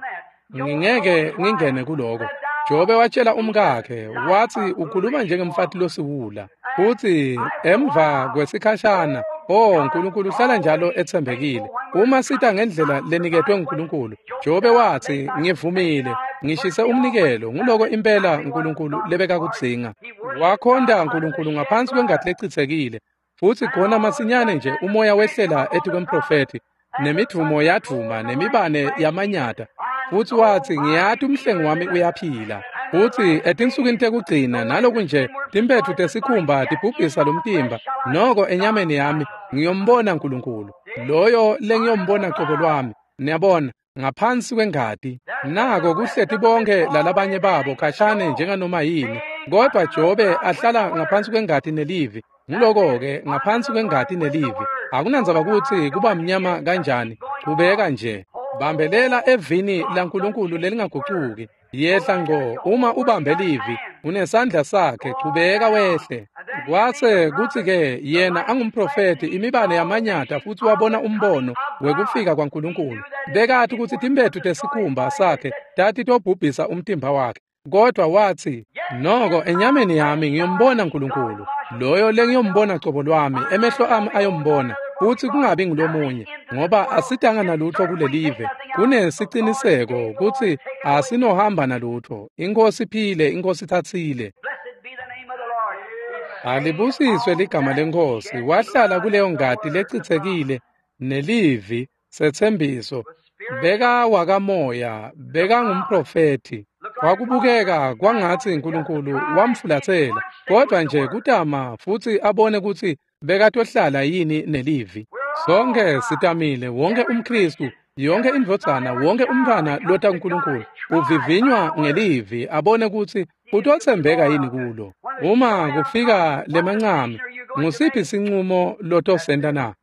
ngingeke ngingene kuloko. Jobe watshela umkakhe, wathi ukhuluma njengemfati losiwula. Futhi emva kwesikhashana, uNkulunkulu uhlala njalo etsembekile. Uma sita ngendlela leniketwe nguNkulunkulu, Jobe wathi, ngivumile, ngishise umnikelo, nguloko impela uNkulunkulu lebekakudzinga. Wakhonta uNkulunkulu ngaphansi kwengati lechitsekile. Futhi khona masinyane nje umoya wehlela etikwemprofethi, nemidvumo yadvuma, nemibane yamanyata. Futhi wathi, ngiyati umhlengi wami uyaphila. Futhi etinsukwini tekugcina naloku nje timpethu tesikhumba tibhubhisa lomtimba, noko enyameni yami ngiyombona uNkulunkulu, loyo lengiyombona cobo lwami. Niyabona, ngaphansi kwengati. Nako kuhleti bonke lalabanye babo khashane njenganoma yini, kodwa Jobe ahlala ngaphansi kwengati nelivi. Nguloko-ke, ngaphansi kwengati nelivi. Akunandzaba kutsi kuba mnyama kanjani, chubeka nje. Bambelela evini laNkulunkulu lelingagucuki. Yehla ngqo, uma ubambe livi, unesandla sakhe, chubeka wehle. Kwase kutsi-ke yena angumprofethi, imibane yamanyata, futhi wabona umbono wekufika kwaNkulunkulu. Bekati kutsi timpethu tesikhumba sakhe tatitobhubhisa umtimba wakhe. Kodwa wathi, noko enyameni yami ngiyombona uNkulunkulu, loyo lengiyombona cobo lwami, emehlo ami ayombona, futhi kungabi ngulomunye, ngoba asitanga nalutho kulelive. Kunesiciniseko kutsi asinohamba nalutho. Inkosi iphile, inkosi ithatsile. Alibusiswe ligama leNkosi. Wahlala kuleyo ngati lechitsekile nelivi setsembiso. Beka wakamoya, beka ngumprofethi. Kwakubukeka kwangatsi uNkulunkulu wamfulatsela, kodwa nje kutama futhi abone kutsi bekatohlala yini nelivi. Sonke sitamile, wonke umKristu, yonke indvodzana, wonke umntwana lota kuNkulunkulu uvivinywa ngelivi, abone kutsi utotsembeka yini kulo. Uma kufika lemancami, ngusiphi sincumo lotosenta na?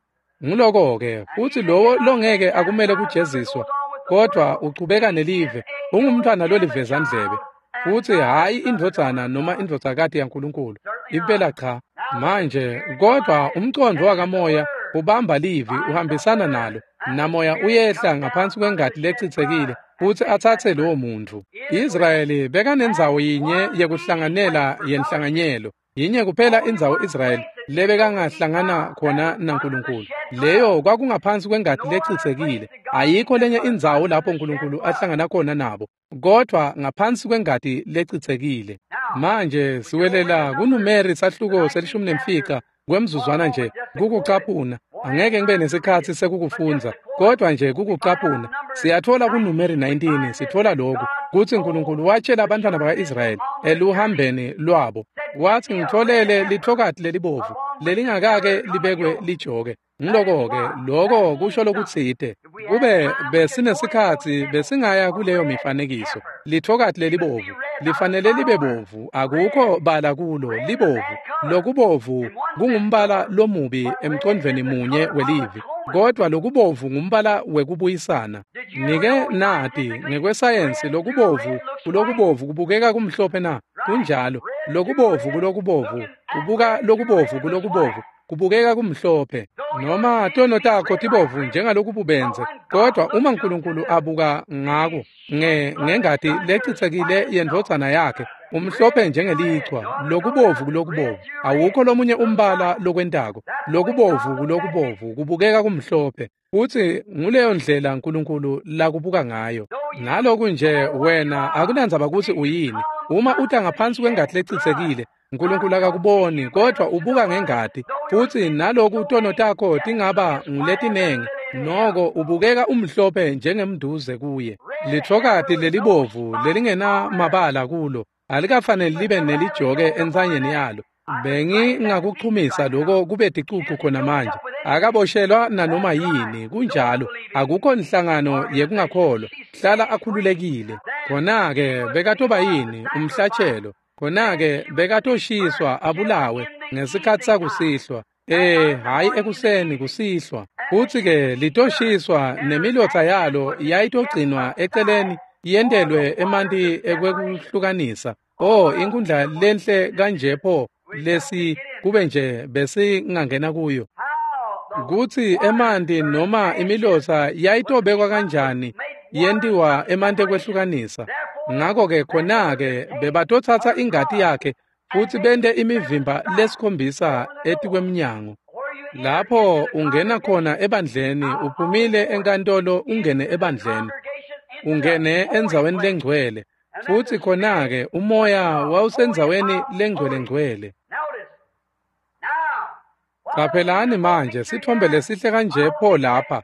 Nguloko-ke, futhi lowo longeke akumele kujeziswa, kodwa uchubeka nelive, ungumntwana lolivezandlebe, futhi hhayi indvodzana noma indvodzakati yaNkulunkulu. Impela cha. Manje, kodwa umcondvo wakamoya ubamba livi, uhambisana nalo, namoya uyehla ngaphansi kwengati lechitsekile futhi atsatse lowo muntfu. Israyeli bekanendzawo yinye yekuhlanganela yenhlanganyelo. Yinye kuphela indzawo Israyeli lebekangahlangana khona naNkulunkulu. Leyo kwakungaphansi kwengati lechitsekile. Ayikho lenye indzawo lapho uNkulunkulu ahlangana khona nabo, kodwa ngaphansi kwengati lechitsekile. Manje siwelela kuNumeri sahluko se-15 kwemzuzwana nje kukucaphuna. Angeke ngibe nesikhatsi sekukufundza, kodwa nje kukucaphuna. Siyathola kuNumeri 19, sithola lokhu kutsi uNkulunkulu watshela abantwana baka-Israyeli eluhambeni lwabo, wathi, ngitholele lithokati lelibovu lelingakake libekwe lijoke. Ngiloko-ke, loko kusho lokutsite. Kube besinesikhatsi besingaya kuleyo mifanekiso. Lithokati lelibovu lifanele libe bovu, akukho bala kulo, libovu. Lokubovu kungumbala lomubi emcondvweni munye welivi, kodwa lokubovu ngumbala wekubuyisana. Nike nati ngekwesayensi, lokubovu kulokubovu kubukeka kumhlophe na? Kunjalo. Lokubovu kulokubovu kubuka lokubovu kulokubovu kubukeka kumhlophe. Noma tono takho tibovu njengalokububenze, kodwa uma uNkulunkulu abuka ngako ngengati lechitsekile yendvodzana yakhe, umhlophe njengelichwa. Lokubovu kulokubovu, awukho lomunye umbala lokwentako. Lokubovu kulokubovu kubukeka kumhlophe, futhi nguleyo ndlela uNkulunkulu lakubuka ngayo. Naloku nje wena akunandzaba kutsi uyini, uma uta ngaphansi kwengati lechitsekile, uNkulunkulu akakuboni, kodwa ubuka ngengati. Futhi naloku tono takho tingaba nguletinengi, noko ubukeka umhlophe njengemnduze kuye. Lithokati lelibovu lelingenamabala kulo alikafaneli libe nelijoke entsanyeni yalo. Bengingakuchumisa lokho kube ticucu khona manje. Akaboshelwa nanoma yini, kunjalo. Akukho nhlangano yekungakholwa, hlala akhululekile. Khona-ke bekatoba yini umhlatshelo? Khona-ke bekatoshiswa abulawe ngesikhatsi sakusihlwa. Hhayi ekuseni, kusihlwa. Futsi-ke litoshiswa nemilotsa yalo yayitogcinwa eceleni yentelwe emanti ekwekuhlukanisa. Oh, inkundla lenhle kanje pho lesi kube nje besingangena kuyo. Kutsi emanti noma imilotsa yayitobekwa kanjani yentiwa emanti ekwehlukanisa. Ngako-ke khona-ke bebatotsatsa ingati yakhe futsi bente imivimba lesikhombisa etikwemnyango. Lapho ungena khona ebandleni, uphumile enkantolo ungene ebandleni, ungene endzaweni lengcwele, futsi khona-ke umoya wawusendzaweni lengcwele-ngcwele. Qaphelani manje sitfombe lesihle kanje pho lapha.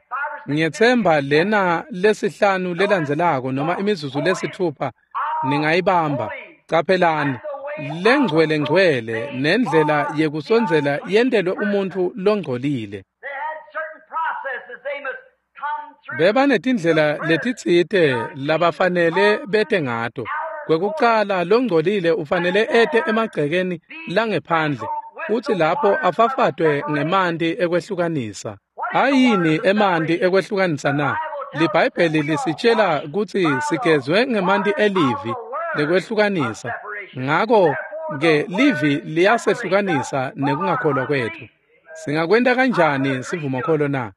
Ngiyetsemba lena lesihlanu lelandzelako noma imizuzu lesithupha ningayibamba. Qaphelani lengcwele ngcwele nendlela yekusondzela yentelwe umuntfu longcolile. Bebanetindlela letitsite labafanele bete ngato. Kwekucala longcolile ufanele ete emagcekeni langephandle futsi lapho afafatwe ngemanti ekwehlukanisa. Ayini emanti ekwehlukanisa na? LiBhayibheli lisitshela kutsi sigezwe ngemanti elivi lekwehlukanisa. Ngako-ke livi liyasehlukanisa nekungakholwa kwetfu. Singakwenta kanjani sivumokholo na?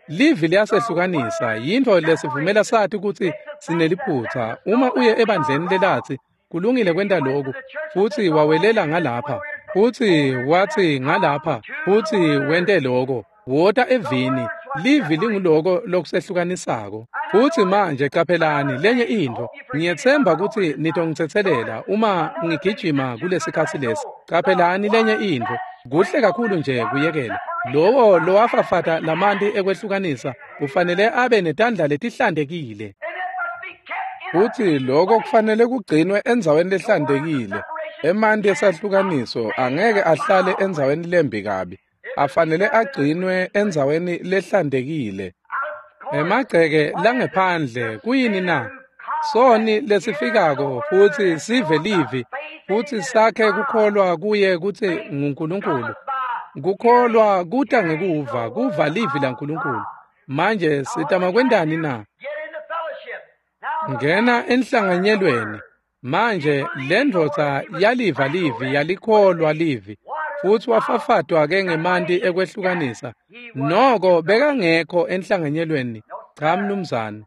Livi liyasehlukanisa, yintfo lesivumela sati kutsi sineliphutsa. Uma uye ebandleni lelatsi kulungile kwenta loku, futsi wawelela ngalapha, futsi watsi ngalapha, futsi wente loko, wota evini. Livi linguloko lokusehlukanisako. Futsi manje qaphelani lenye intfo. Ngiyetsemba kutsi nitongitsetselela uma ngigijima kulesikhatsi lesi. Qaphelani lenye intfo. Kuhle kakhulu nje kuyekela. Lowo lowafafata lamanti ekwehlukanisa ufanele abe netandla letihlantekile. Futsi loko kufanele kugcinwe endzaweni lehlantekile. Emanti esahlukaniso angeke ahlale endzaweni lembi kabi. Afanele agcinwe endzaweni lehlantekile. Emagceke langephandle kuyini na? Soni lesifikako futsi sive livi futsi sakhe kukholwa kuye kutsi nguNkulunkulu. Kukholwa kuta ngekuva, kuva livi laNkulunkulu. Manje sitama kwentani na? Ngena enhlanganyelweni. Manje lendvodza yaliva livi, yalikholwa livi, futsi wafafatwa-ke ngemanti ekwehlukanisa. Noko bekangekho enhlanganyelweni. Cha mnumzane.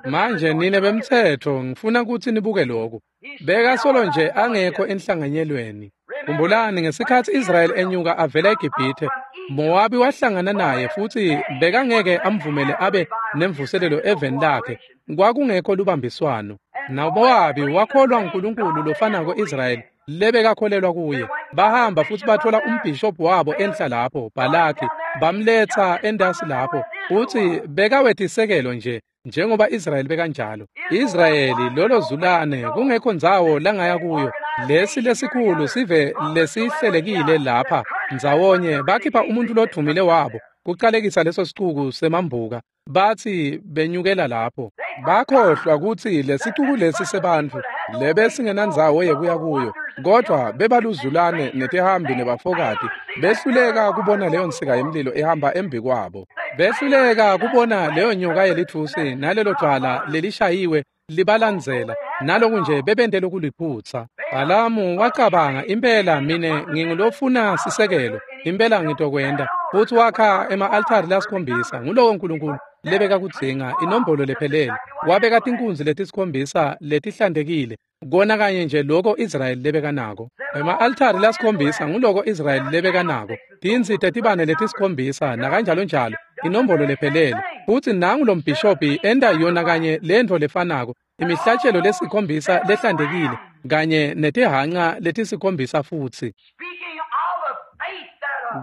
Manje nine bemtsetfo ngifuna kutsi nibuke lokhu. Bekasolo nje angekho enhlanganyelweni. Khumbulani ngesikhatsi Israyeli enyuka avela eGibhithe, Mowabi wahlangana naye futsi bekangeke amvumele abe nemvuselelo eveni lakhe. Kwakungekho lubambiswano. NaMowabi wakholwa nguNkulunkulu lofanako Israyeli lebekakholelwa kuye. Bahamba futsi bathola umbhishobhi wabo enhla lapho, Bhalaki, bamletsa entasi lapho, futsi bekawetisekelo nje njengoba Israyeli bekanjalo. Israyeli lolo zulane kungekho ndzawo langaya kuyo. Lesi lesikhulu sive lesihlelekile lapha ndzawonye bakhipha umuntu lodvumile wabo kucalekisa leso sicuku semambuka. Bathi benyukela lapho. Bakhohlwa kutsi lesicuku lesi sebantfu lebesingenandzawo yekuya kuyo, kodvwa bebaluzulane netihambi nebafokati. Behluleka kubona leyo nsika yemlilo ihamba embikwabo. Behluleka kubona leyo nyoka yelitfusi nalelo dvwala lelishayiwe libalandzela. Naloku nje bebente lokuliphutsa. Bhalamu wacabanga, impela mine ngingulofuna sisekelo, impela ngitokwenta. Futsi wakha ema-altari lasikhombisa. Nguloko Nkulunkulu lebekakudzinga, inombolo lephelele. Wabeka tinkunzi letisikhombisa letihlantekile, kona kanye nje loko Israyeli lebekanako. Ema-altari lasikhombisa nguloko Israyeli lebekanako. Tintsi tetibane letisikhombisa nakanjalo njalo, inombolo lephelele. Futsi nangu lo mbhishobhi enta yona kanye lentfo lefanako, imihlatshelo lesikhombisa lehlantekile kanye netihhanca letisikhombisa futsi.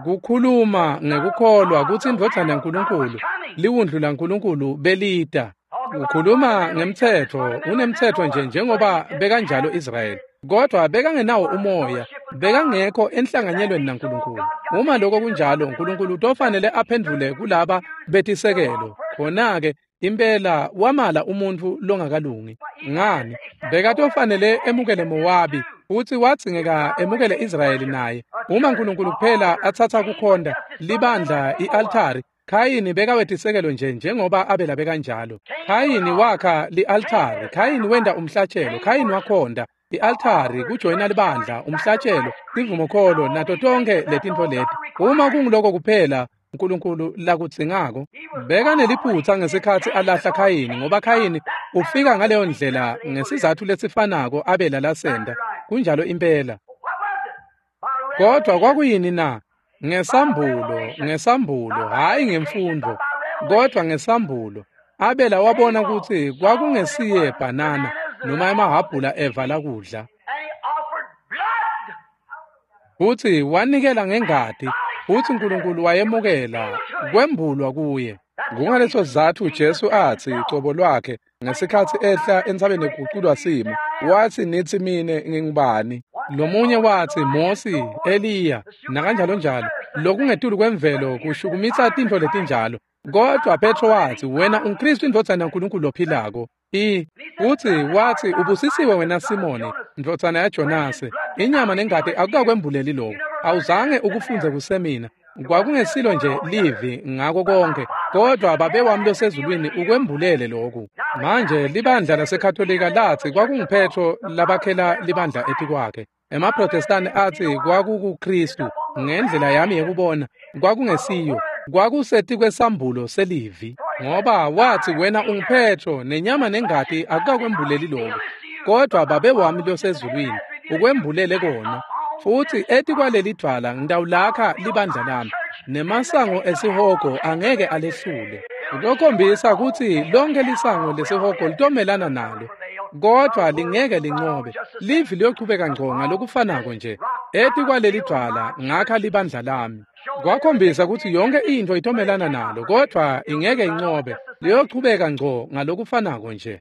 Kukhuluma ngekukholwa kutsi indvodzana yaNkulunkulu, liwundlu laNkulunkulu belita. Ukhuluma ngemtsetfo, unemtsetfo nje njengoba bekanjalo Israyeli, kodvwa bekangenawo umoya, bekangekho enhlanganyelweni naNkulunkulu. Uma lokho kunjalo, Nkulunkulu utofanele aphendvule kulaba betisekelo. Khona-ke impela wamala umuntfu longakalungi. Ngani? Bekatofanele emukele Mowabi, futsi wadzingeka emukele Israyeli naye. Uma Nkulunkulu kuphela atsatsa kukhonta libandla i-altari, Khayini bekawetisekelo nje njengoba Abela bekanjalo. Khayini wakha li-altari, Khayini wenta umhlatshelo, Khayini wakhonda i-altari, kujoyina libandla, umhlatshelo, tivumokholo nato tonke letintfo leti. Uma kunguloko kuphela uNkulunkulu lakudzingako, bekaneliphutsa ngesikhatsi alahla Khayini, ngoba Khayini ufika ngaleyo ndlela ngesizatfu lesifanako Abela lasenta. Kunjalo impela. Kodwa kwakuyini na? Ngesambulo, ngesambulo, hhayi ngemfundvo, kodwa ngesambulo. Abela wabona kutsi kwakungesiye bhanana noma emahhabhula eva lakudla. Futsi wanikela ngengati, futsi uNkulunkulu wayemukela, kwembulwa kuye. Kungaleso sizatfu Jesu atsi cobo lwakhe ngesikhatsi ehla entsabeni yekuguculwa simo, watsi nitsi mine ngingubani? Lomunye watsi Mosi, Eliya, nakanjalo njalo. Lokungetulu kwemvelo kushukumisa tintfo letinjalo. Kodwa Petro watsi wena unguKristu indvodzana yaNkulunkulu lophilako. Futsi watsi ubusisiwe wena Simoni, ndvodzana yaJonase, inyama nengati akukakwembuleli lokho. Awuzange ukufunze kusemina. Kwakungesilo nje livi ngako konke, kodwa Babe wami losezulwini ukwembulele lokhu. Manje libandla laseKatolika latsi kwakunguPetro labakhela libandla etikwakhe. EmaProtestani atsi kwakukuKristu. Ngendlela yami yekubona kwakungesiyo, kwakusetikwesambulo selivi, ngoba watsi wena unguPetro nenyama nengati akukakwembuleli lokho, kodwa Babe wami losezulwini ukwembulele kona. Futsi etikwaleli dvwala ngitawulakha libandla lami, nemasango esihogo angeke alehlule. Kutokhombisa kutsi lonke lisango lesihogo litomelana nalo, kodwa lingeke lincobe. Livi liyochubeka ngco ngalokufanako nje. Etikwaleli dvwala ngakha libandla lami. Kwakhombisa kutsi yonke intfo itomelana nalo, kodwa ingeke incobe. Liyochubeka ngco ngalokufanako nje.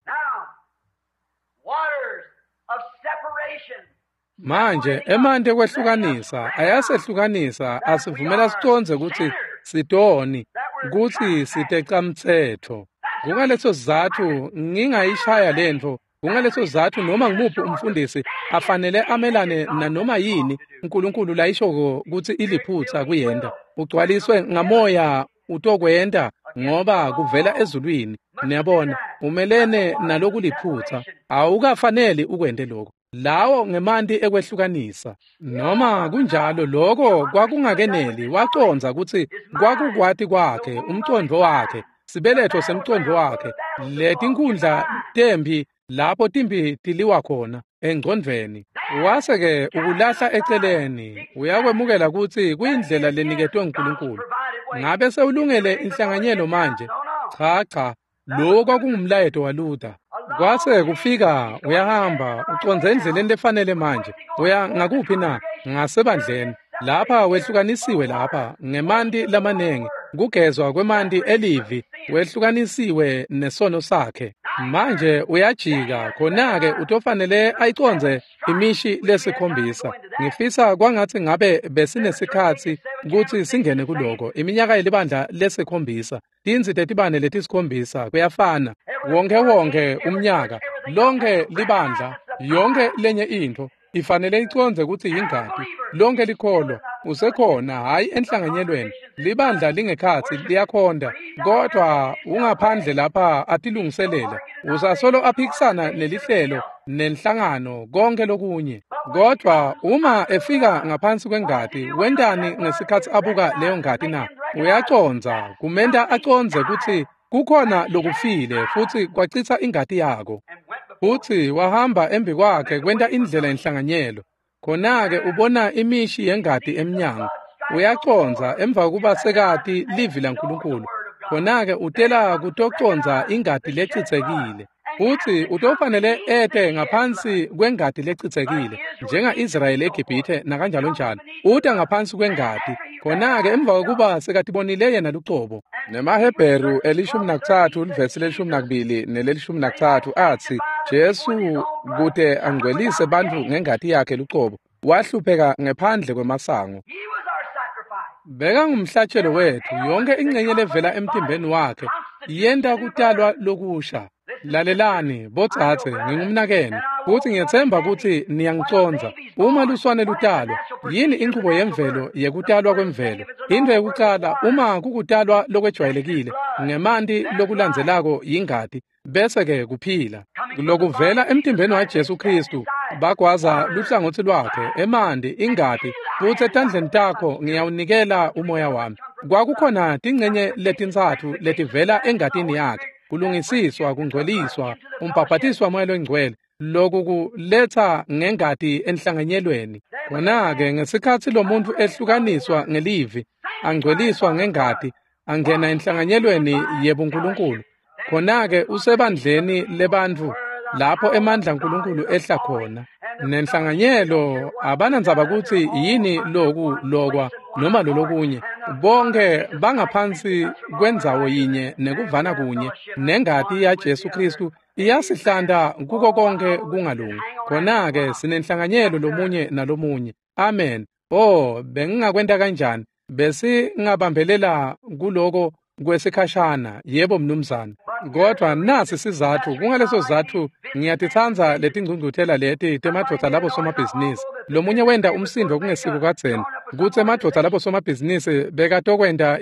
Manje emanti ekwehlukanisa ayasehlukanisa, asivumela sicondze kutsi sitoni, kutsi sitecamtsetfo. Kungaleso sizatfu ngingayishaya lentfo. Kungaleso sizatfu noma ngumuphi umfundisi afanele amelane nanoma yini uNkulunkulu layishoko kutsi iliphutsa kuyenta. Ugcwaliswe ngamoya utokwenta ngoba kuvela ezulwini. Niyabona, umelene nalokuliphutsa. Awukafaneli ukwente lokho. Lawo ngemanti ekwehlukanisa. Noma kunjalo lokho kwakungakeneli, wacondza kutsi kwakukwati kwakhe, umcondvo wakhe, sibeletho semcondvo wakhe, letinkundla tempi lapho timpi tiliwa khona engcondvweni. Wase-ke ukulahla eceleni, uyakwemukela kutsi kuyindlela leniketwe nguNkulunkulu. Ngabe sewulungele inhlanganyelo manje? Cha cha, lowo kwakungumlayeto waLuther. Kwase kufika uyahamba ucondze endleleni lefanele manje. Uya ngakuphi na? Ngasebandleni. Lapha wehlukanisiwe lapha ngemanti lamanengi, kugezwa kwemanti elivi, wehlukanisiwe nesono sakhe. Manje uyajika, khona-ke utofanele ayicondze imishi lesikhombisa. Ngifisa kwangatsi ngabe besinesikhatsi kutsi singene kuloko. Iminyaka yelibandla lesikhombisa, tintsi tetibane letisikhombisa, kuyafana. Wonke wonke umnyaka, lonke libandla, yonke lenye intfo ifanele icondze kutsi yingati. Lonke likholwa usekhona, hhayi enhlanganyelweni. Libandla lingekhatsi liyakhonda, kodwa ungaphandle lapha atilungiselela. Usasolo aphikisana nelihlelo nenhlangano konke lokunye. Kodwa uma efika ngaphansi kwengati, wentani ngesikhatsi abuka leyo ngati na? Uyacondza, kumenta acondze kutsi kukhona lokufile futsi kwacitsa ingati yako. Futsi wahamba embi kwakhe kwenta indlela yenhlanganyelo. Khona-ke ubona imishi yengati emnyango. Uyacondza emva kokuba sekati livi laNkulunkulu. Khona-ke utela kutocondza ingati lecitsekile. Futsi utofanele ete ngaphansi kwengati lecitsekile, njenga-Israyeli eGibhithe nakanjalo njalo. Uta ngaphansi kwengati. Khona-ke emva kokuba sekatibonile yena lucobo. NemaHebheru 13 livesi le-12 nele-13 atsi Jesu kute angcwelise bantfu ngengati yakhe lucobo, wahlupheka ngephandle kwemasango. Bekangumhlatshelo wetfu, yonke ingcenye levela emtimbeni wakhe yenta kutalwa lokusha. Lalelani, bodzadze, ngingumnakenu. Futsi ngiyetsemba kutsi niyangicondza. Uma luswane lutalwa, yini inchubo yemvelo yekutalwa kwemvelo? Into yekucala, uma kukutalwa lokwejwayelekile, ngemanti lokulandzelako yingati, bese-ke kuphila. Lokuvela emtimbeni waJesu Khristu, bagwaza luhlangotsi lwakhe, emanti, ingati, futsi etandleni takho ngiyawunikela umoya wami. Kwakukhona tincenye letintsatfu letivela engatini yakhe, kulungisiswa, kungcweliswa, umbhabhatiso waMoya loNgcwele, loku kuletsa ngengati enhlanganyelweni. Khona-ke ngesikhatsi lomuntfu ehlukaniswa ngelivi, angcweliswa ngengati, angena enhlanganyelweni yebuNkulunkulu. Khona-ke usebandleni lebantfu lapho emandla aNkulunkulu ehla khona. Nenhlanganyelo abanandzaba kutsi yini loku lokwa noma lolokunye. Bonke bangaphansi kwendzawo yinye nekuvana kunye, nengati yaJesu Khristu iyasihlanta kuko konke kungalungi. Khona-ke sinenhlanganyelo lomunye nalomunye. Amen. Oh, bengingakwenta kanjani? Besingabambelela kuloko kwesikhashana. Yebo mnumzane. Kodwa nasi sizatfu, kungaleso sizatfu ngiyatitsandza letingcungcuthela leti temadvodza labo somabhizinisi. Lomunye wenta umsindo kungesiko kadzeni kutsi emadvodza labo somabhizinisi bekatokwenta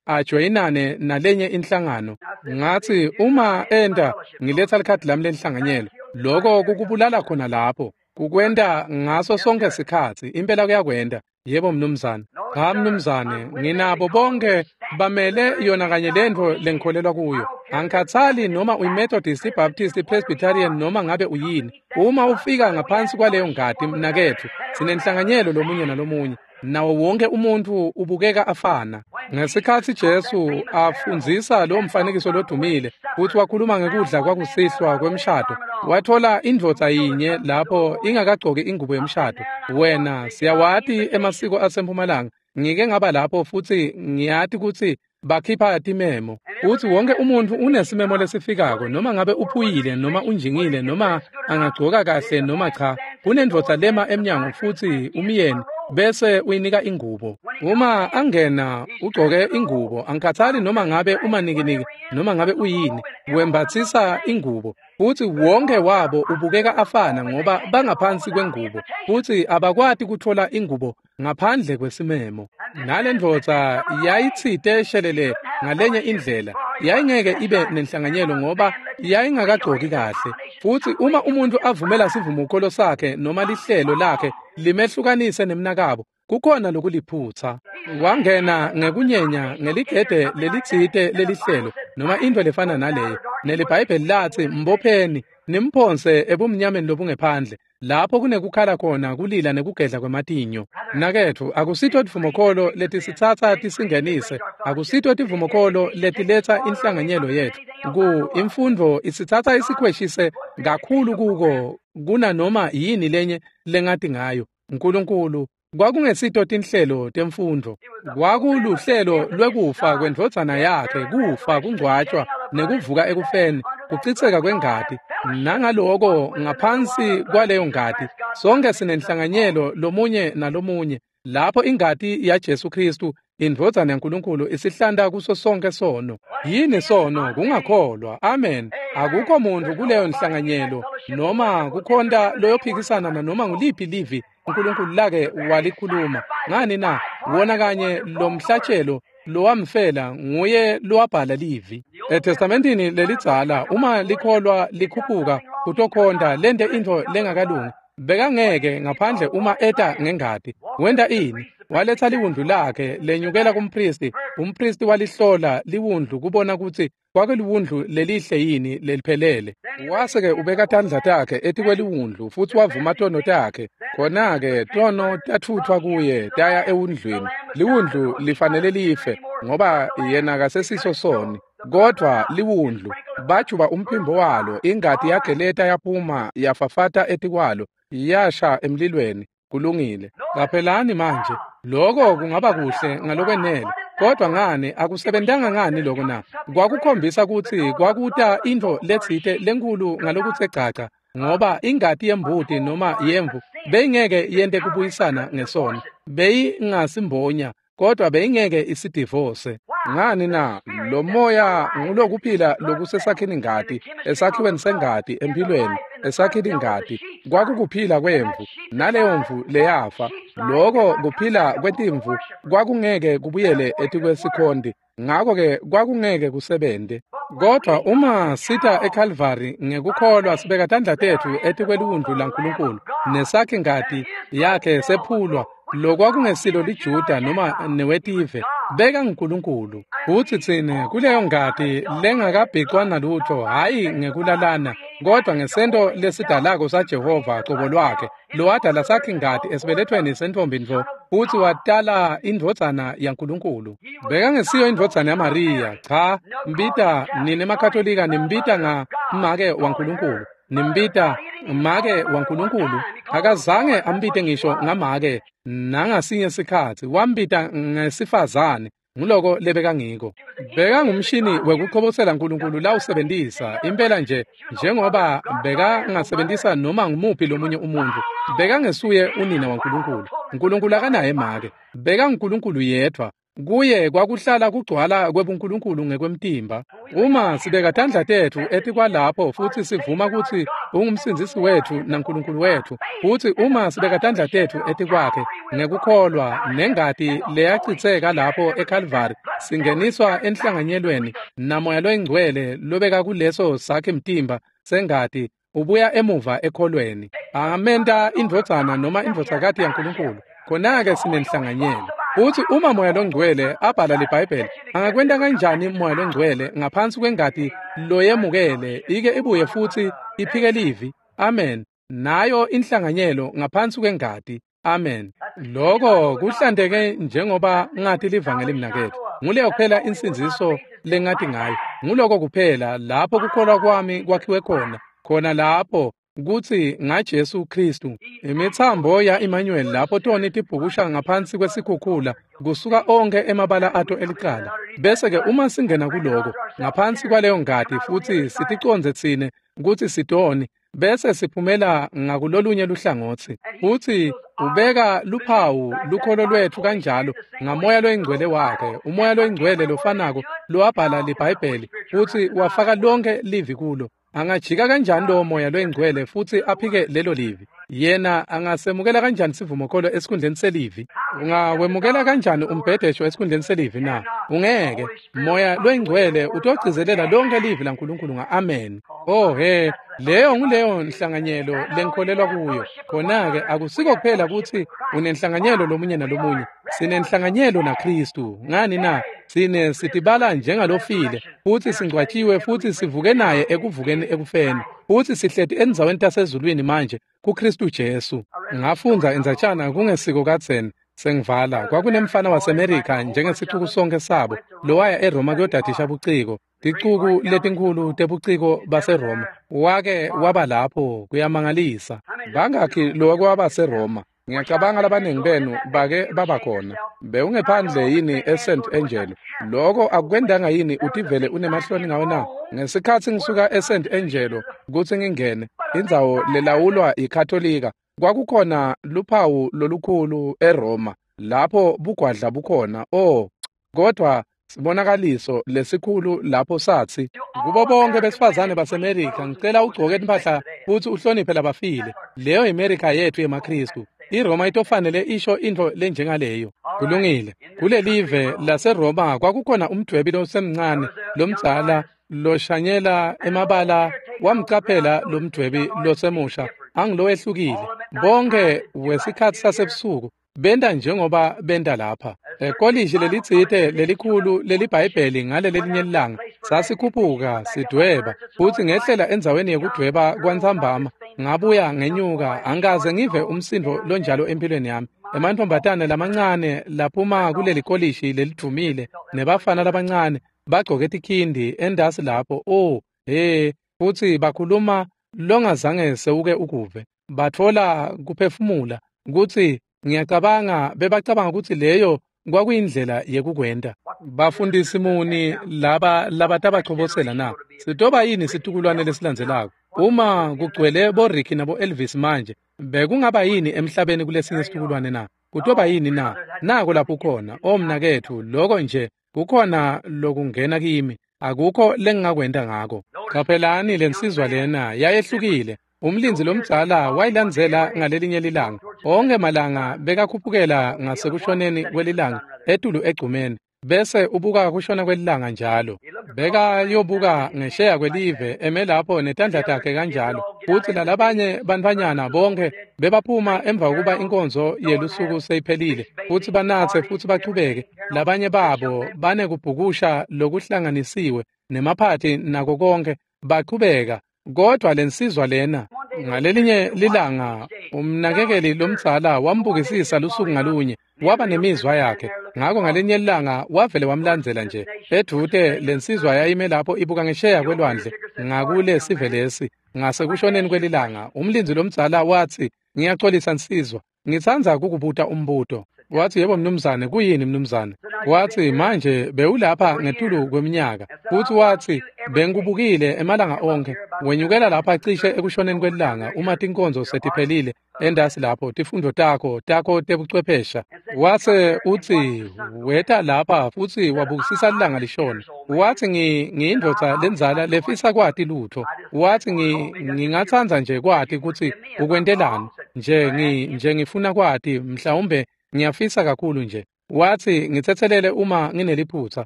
ajoyinane nalenye inhlangano. Ngatsi uma enta ngiletsa likhadi lami lenhlanganyelo, loko kukubulala khona lapho. Kukwenta ngaso sonke sikhatsi, impela kuyakwenta. Yebo mnumzane. Cha mnumzane, nginabo bonke bamele yona kanye lentfo lengikholelwa kuyo. Angikhatsali noma uyiMethodist, iBaptist, iPresbyterian noma ngabe uyini. Uma ufika ngaphansi kwaleyo ngati mnaketfu, sinenhlanganyelo lomunye nalomunye. Nawo wonke umuntfu ubukeka afana. Ngesikhatsi Jesu afundzisa lo mfanekiso lodumile futsi wakhuluma ngekudla kwakusihlwa kwemshado, wathola indvodza yinye lapho ingakagcoki ingubo yemshado. Wena, siyawati emasiko asempumalanga. Ngike ngaba lapho futsi ngiyati kutsi bakhipha timemo. Utsi wonke umuntfu unesimemo lesifikako, noma ngabe uphuyile noma unjingile noma angagcoka kahle noma cha. Kunendvodza lema emnyango futsi umyeni bese uyinika ingubo. Uma angena ugcoke ingubo, angikhathali noma ngabe umanikiniki noma ngabe uyini, wembatsisa ingubo. Futsi wonke wabo ubukeka afana ngoba bangaphansi kwengubo, futsi abakwati kutfola ingubo ngaphandle kwesimemo. Nalendvodza yayitsite shelele ngalenye indlela, yayingeke ibe nenhlanganyelo ngoba yayingakagcoki kahle. Futsi uma umuntfu avumela sivumokholo sakhe noma lihlelo lakhe limehlukanise nemnakabo, kukhona lokuliphutsa. Wangena ngekunyenya ngeligede lelitsite lelihlelo noma into lefana naleyo. NeliBhayibheli latsi mbopheni nimphonse ebumnyameni lobungephandle, lapho kunekukhala khona kulila nekugedla kwematinyo. Mnaketfu, akusito tivumokholo letisitsatsa tisingenise, akusito tivumokholo letiletsa inhlanganyelo yetfu. Ku imfundvo isitsatsa isikhweshise kakhulu kuko kunanoma yini lenye lengati ngayo. Nkulunkulu kwakungesito tinhlelo temfundvo, kwakuluhlelo lwekufa kwendvodzana yakhe, kufa, kungcwatshwa nekuvuka ekufeni, kucitseka kwengati. Nangaloko ngaphansi kwaleyo ngati sonke sinenhlanganyelo lomunye nalomunye, lapho ingati yaJesu Khristu indvodzana yaNkulunkulu isihlanta kuso sonke sono. Yini sono? Kungakholwa. Amen. Akukho muntfu kuleyo nhlanganyelo noma kukhonta loyophikisana nanoma nguliphi livi uNkulunkulu lake walikhuluma. Ngani na? Wona kanye lomhlatshelo lowamfela nguye lowabhala livi. ETestamentini lelidzala, uma likholwa likhuphuka kutokhonta lente intfo lengakalungi, bekangeke ngaphandle uma eta ngengati. Wenta ini? Waletsa liwundlu lakhe lenyukela kumpristi. Umpristi walihlola liwundlu kubona kutsi kwakuliwundlu lelihle yini leliphelele. Wase-ke ubeka tandla takhe etikweliwundlu futsi wavuma tono takhe. Khona-ke tono tatfutfwa kuye taya ewundlwini. Liwundlu lifanele life ngoba yena kasesiso soni. Kodvwa liwundlu bajuba umphimbo walo, ingati yageleta yaphuma yafafata etikwalo, yasha emlilweni. Kulungile. Qaphelani manje, lokho kungaba kuhle ngalokwenele, kodwa ngani akusebentanga ngani lokho na? Kwakukhombisa kutsi kwakuta intfo letsite lenkhulu ngalokutse gcagca, ngoba ingati yembuti noma yemvu beyingeke yente kubuyisana ngesono, beyingasimbonya, kodwa beyingeke isidivose. Ngani na? Lo moya ngulokuphila lokusesakhini ngati, esakhiweni sengati, empilweni, esakhilingati kwakukuphila kwemvu, naleyo mvu leyafa. Loko kuphila kwetimvu kwakungeke kubuyele etikwesikhonti, ngako-ke kwakungeke kusebente. Kodwa uma sita eKalvari ngekukholwa sibeka tandla tetfu etikweliwundlu laNkulunkulu, nesakhingati yakhe sephulwa, lokwakungesilo liJuda noma newetive, beka nguNkulunkulu. Futsi tsine kuleyo ngati lengakabhicwa nalutho, hhayi ngekulalana, kodwa ngesento lesidalako saJehova cobo lwakhe, lowadala sakhingati esibelethweni sentfombi ntfo, futsi watala indvodzana yaNkulunkulu. Bekangesiyo indvodzana yaMariya, cha, mbita nine maKatolika nimbita nga make waNkulunkulu, nimbita make waNkulunkulu. Akazange ambite ngisho ngamake nangasinye sikhatsi, wambita ngesifazane. Nguloko lebekangiko. Bekangumshini wekuchobosela Nkulunkulu lawusebentisa impela nje njengoba bekangasebentisa noma ngumuphi lomunye umuntfu. Bekangesuye unina waNkulunkulu. Nkulunkulu akanaye make. BekanguNkulunkulu yedvwa. Kuye kwakuhlala kugcwala kwebuNkulunkulu ngekwemtimba. Uma sibeka tandla tetfu etikwalapho futsi sivuma kutsi ungumsindzisi wetfu naNkulunkulu wetfu, futsi uma sibeka tandla tetfu etikwakhe ngekukholwa nengati leyachitseka lapho eKalvari, singeniswa enhlanganyelweni naMoya loyiNgcwele lobeka kuleso sakhe mtimba sengati ubuya emuva ekholweni. Angamenta indvodzana noma indvodzakati yaNkulunkulu. Khona-ke sinenhlanganyelo. Futsi uma Moya loNgcwele abhala liBhayibheli, angakwenta kanjani Moya loNgcwele ngaphansi kwengati loyemukele ike ibuye futsi iphike livi? Amen. Nayo inhlanganyelo ngaphansi kwengati. Amen. Loko kuhlanteke njengoba ngati livangeli mnaketfu. Nguleyo kuphela insindziso lengati ngayo. Nguloko kuphela lapho kukholwa kwami kwakhiwe khona. Khona lapho kutsi ngaJesu Kristu. Imitsambo ya-Emmanuel lapho toni tibhukusha ngaphansi kwesikhukhula kusuka onke emabala ato elicala. Bese-ke uma singena kuloko ngaphansi kwaleyo ngati futsi siticondze tsine kutsi sitoni, bese siphumela ngakulolunye luhlangotsi. Futsi ubeka luphawu lukholo lwetfu kanjalo ngaMoya loyiNgcwele wakhe, uMoya loyiNgcwele lofanako lowabhala liBhayibheli futsi wafaka lonke livi kulo. Angajika kanjani lowo Moya loyiNgcwele futsi aphike lelo livi? Yena angasemukela kanjani sivumokholo esikhundleni selivi? Ungawemukela kanjani umbhedesho esikhundleni selivi na? Ungeke. Moya loyiNgcwele utogcizelela lonke livi laNkulunkulu nga-amen. Oh he, leyo nguleyo nhlanganyelo lengikholelwa kuyo. Khona-ke akusiko kuphela kutsi unenhlanganyelo lomunye nalomunye. Sinenhlanganyelo naKristu. Ngani na? Sine sitibala njengalofile, futsi singcwatshiwe futsi sivuke naye ekuvukeni ekufeni, futsi sihleti endzaweni tasezulwini manje kuKristu Jesu. Ngafundza indzatshana kungesiko kadzeni sengivala. Kwakunemfana waseMerika njengesixuku sonke sabo lowaya eRoma kuyodadisha buciko, ticuku letinkhulu tebuciko baseRoma. Wake waba lapho, kuyamangalisa. Bangakhi lowake waba seRoma? Ngiyacabanga labaningi benu bake baba khona. Bewungephandle yini eSt Angelo? Loko akukwendanga yini utivele unemahloni ngawe na? Ngesikhatsi ngisuka eSt Angelo kutsi ngingene indzawo lelawulwa yiKatolika, kwakukhona luphawu lolukhulu eRoma lapho bugwadla bukhona. Oh, kodwa sibonakaliso lesikhulu lapho satsi kubo bonke besifazane baseMerika, ngicela ugcoke impahla futsi uhloniphe labafile. Leyo yiMerika yetfu yemaKristu. iRoma itofanele isho intfo lenjengaleyo. Kulungile. Kulelive laseRoma kwakukhona umdwebi losemncane lomdzala loshanyela emabala. Wamcaphela lomdwebi losemusha angilowehlukile. Bonke wesikhatsi sasebusuku benta njengoba benta lapha. Ekolishi lelitsite lelikhulu leliBhayibheli ngalelelinye lilanga sasikhuphuka sidweba, futsi ngehlela endzaweni yekudweba kwantsambama, ngabuya ngenyuka. Angikaze ngive umsindo lonjalo empilweni yami. Emantfombatane lamancane laphuma kuleli kolishi lelidvumile nebafana labancane bagcoke tikhindi endasi lapho. Oh he, futsi bakhuluma longazange sewuke ukuve. Batfola kuphefumula kutsi ngiyacabanga bebacabanga kutsi leyo kwakuyindlela yekukwenta. Bafundisi muni laba labatabachobosela na? Sitoba yini situkulwane lesilandzelako? Uma kugcwele boRicky nabo Elvis manje, bekungaba yini emhlabeni kulesinye situkulwane na? Kutoba yini na? Nako lapho khona, o mnaketfu, loko nje kukhona lokungena kimi. Akukho lengingakwenta ngako. Qaphelani lensizwa lena yayehlukile. Umlindzi lomdzala wayilandzela ngalelinye lilanga. Onke malanga bekakhuphukela ngasekushoneni kwelilanga etulu egcumeni, bese ubuka kushona kwelilanga njalo. Bekayobuka ngesheya kwelive eme lapho netandla takhe kanjalo. Futsi lalabanye bantfwanyana bonke bebaphuma emva kokuba inkonzo yelusuku seyiphelile, futsi banatse futsi bachubeke. Labanye babo banekubhukusha lokuhlanganisiwe nemaphathi nako konke bachubeka. Kodwa lensizwa lena ngalelinye lilanga umnakekeli lomdzala wambukisisa lusuku ngalunye, waba nemizwa yakhe. Ngako ngalinye lilanga wavele wamlandzela nje edvute. Lensizwa yayime lapho ibuka ngesheya kwelwandle ngakule sive lesi ngasekushoneni kwelilanga. Umlindzi lomdzala watsi, "Ngiyaxolisa nsizwa, ngitsandza kukubuta umbuto." Wathi, "Yebo mnumzane." "Kuyini mnumzane?" Wathi, "Manje bewulapha ngetulu kweminyaka." Futhi wathi, "Bengikubukile emalanga onke. Wenyukela lapha cishe ekushoneni kwelilanga uma tinkonzo setiphelile endasi lapho tifundo takho tebuchwephesha." Wase uthi, "Weta lapha futhi wabukisisa ilanga lishona." Wathi, "Ngiyindvodza lendzala lefisa kwati lutho." Wathi, "Ngingatsandza nje kwati kutsi ukwentelani. Nje ngifuna kwati, mhlawumbe ngiyafisa kakhulu nje." Wathi, "Ngitsetselele uma ngineliphutha."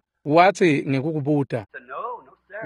Wathi, "Ngikukubuta."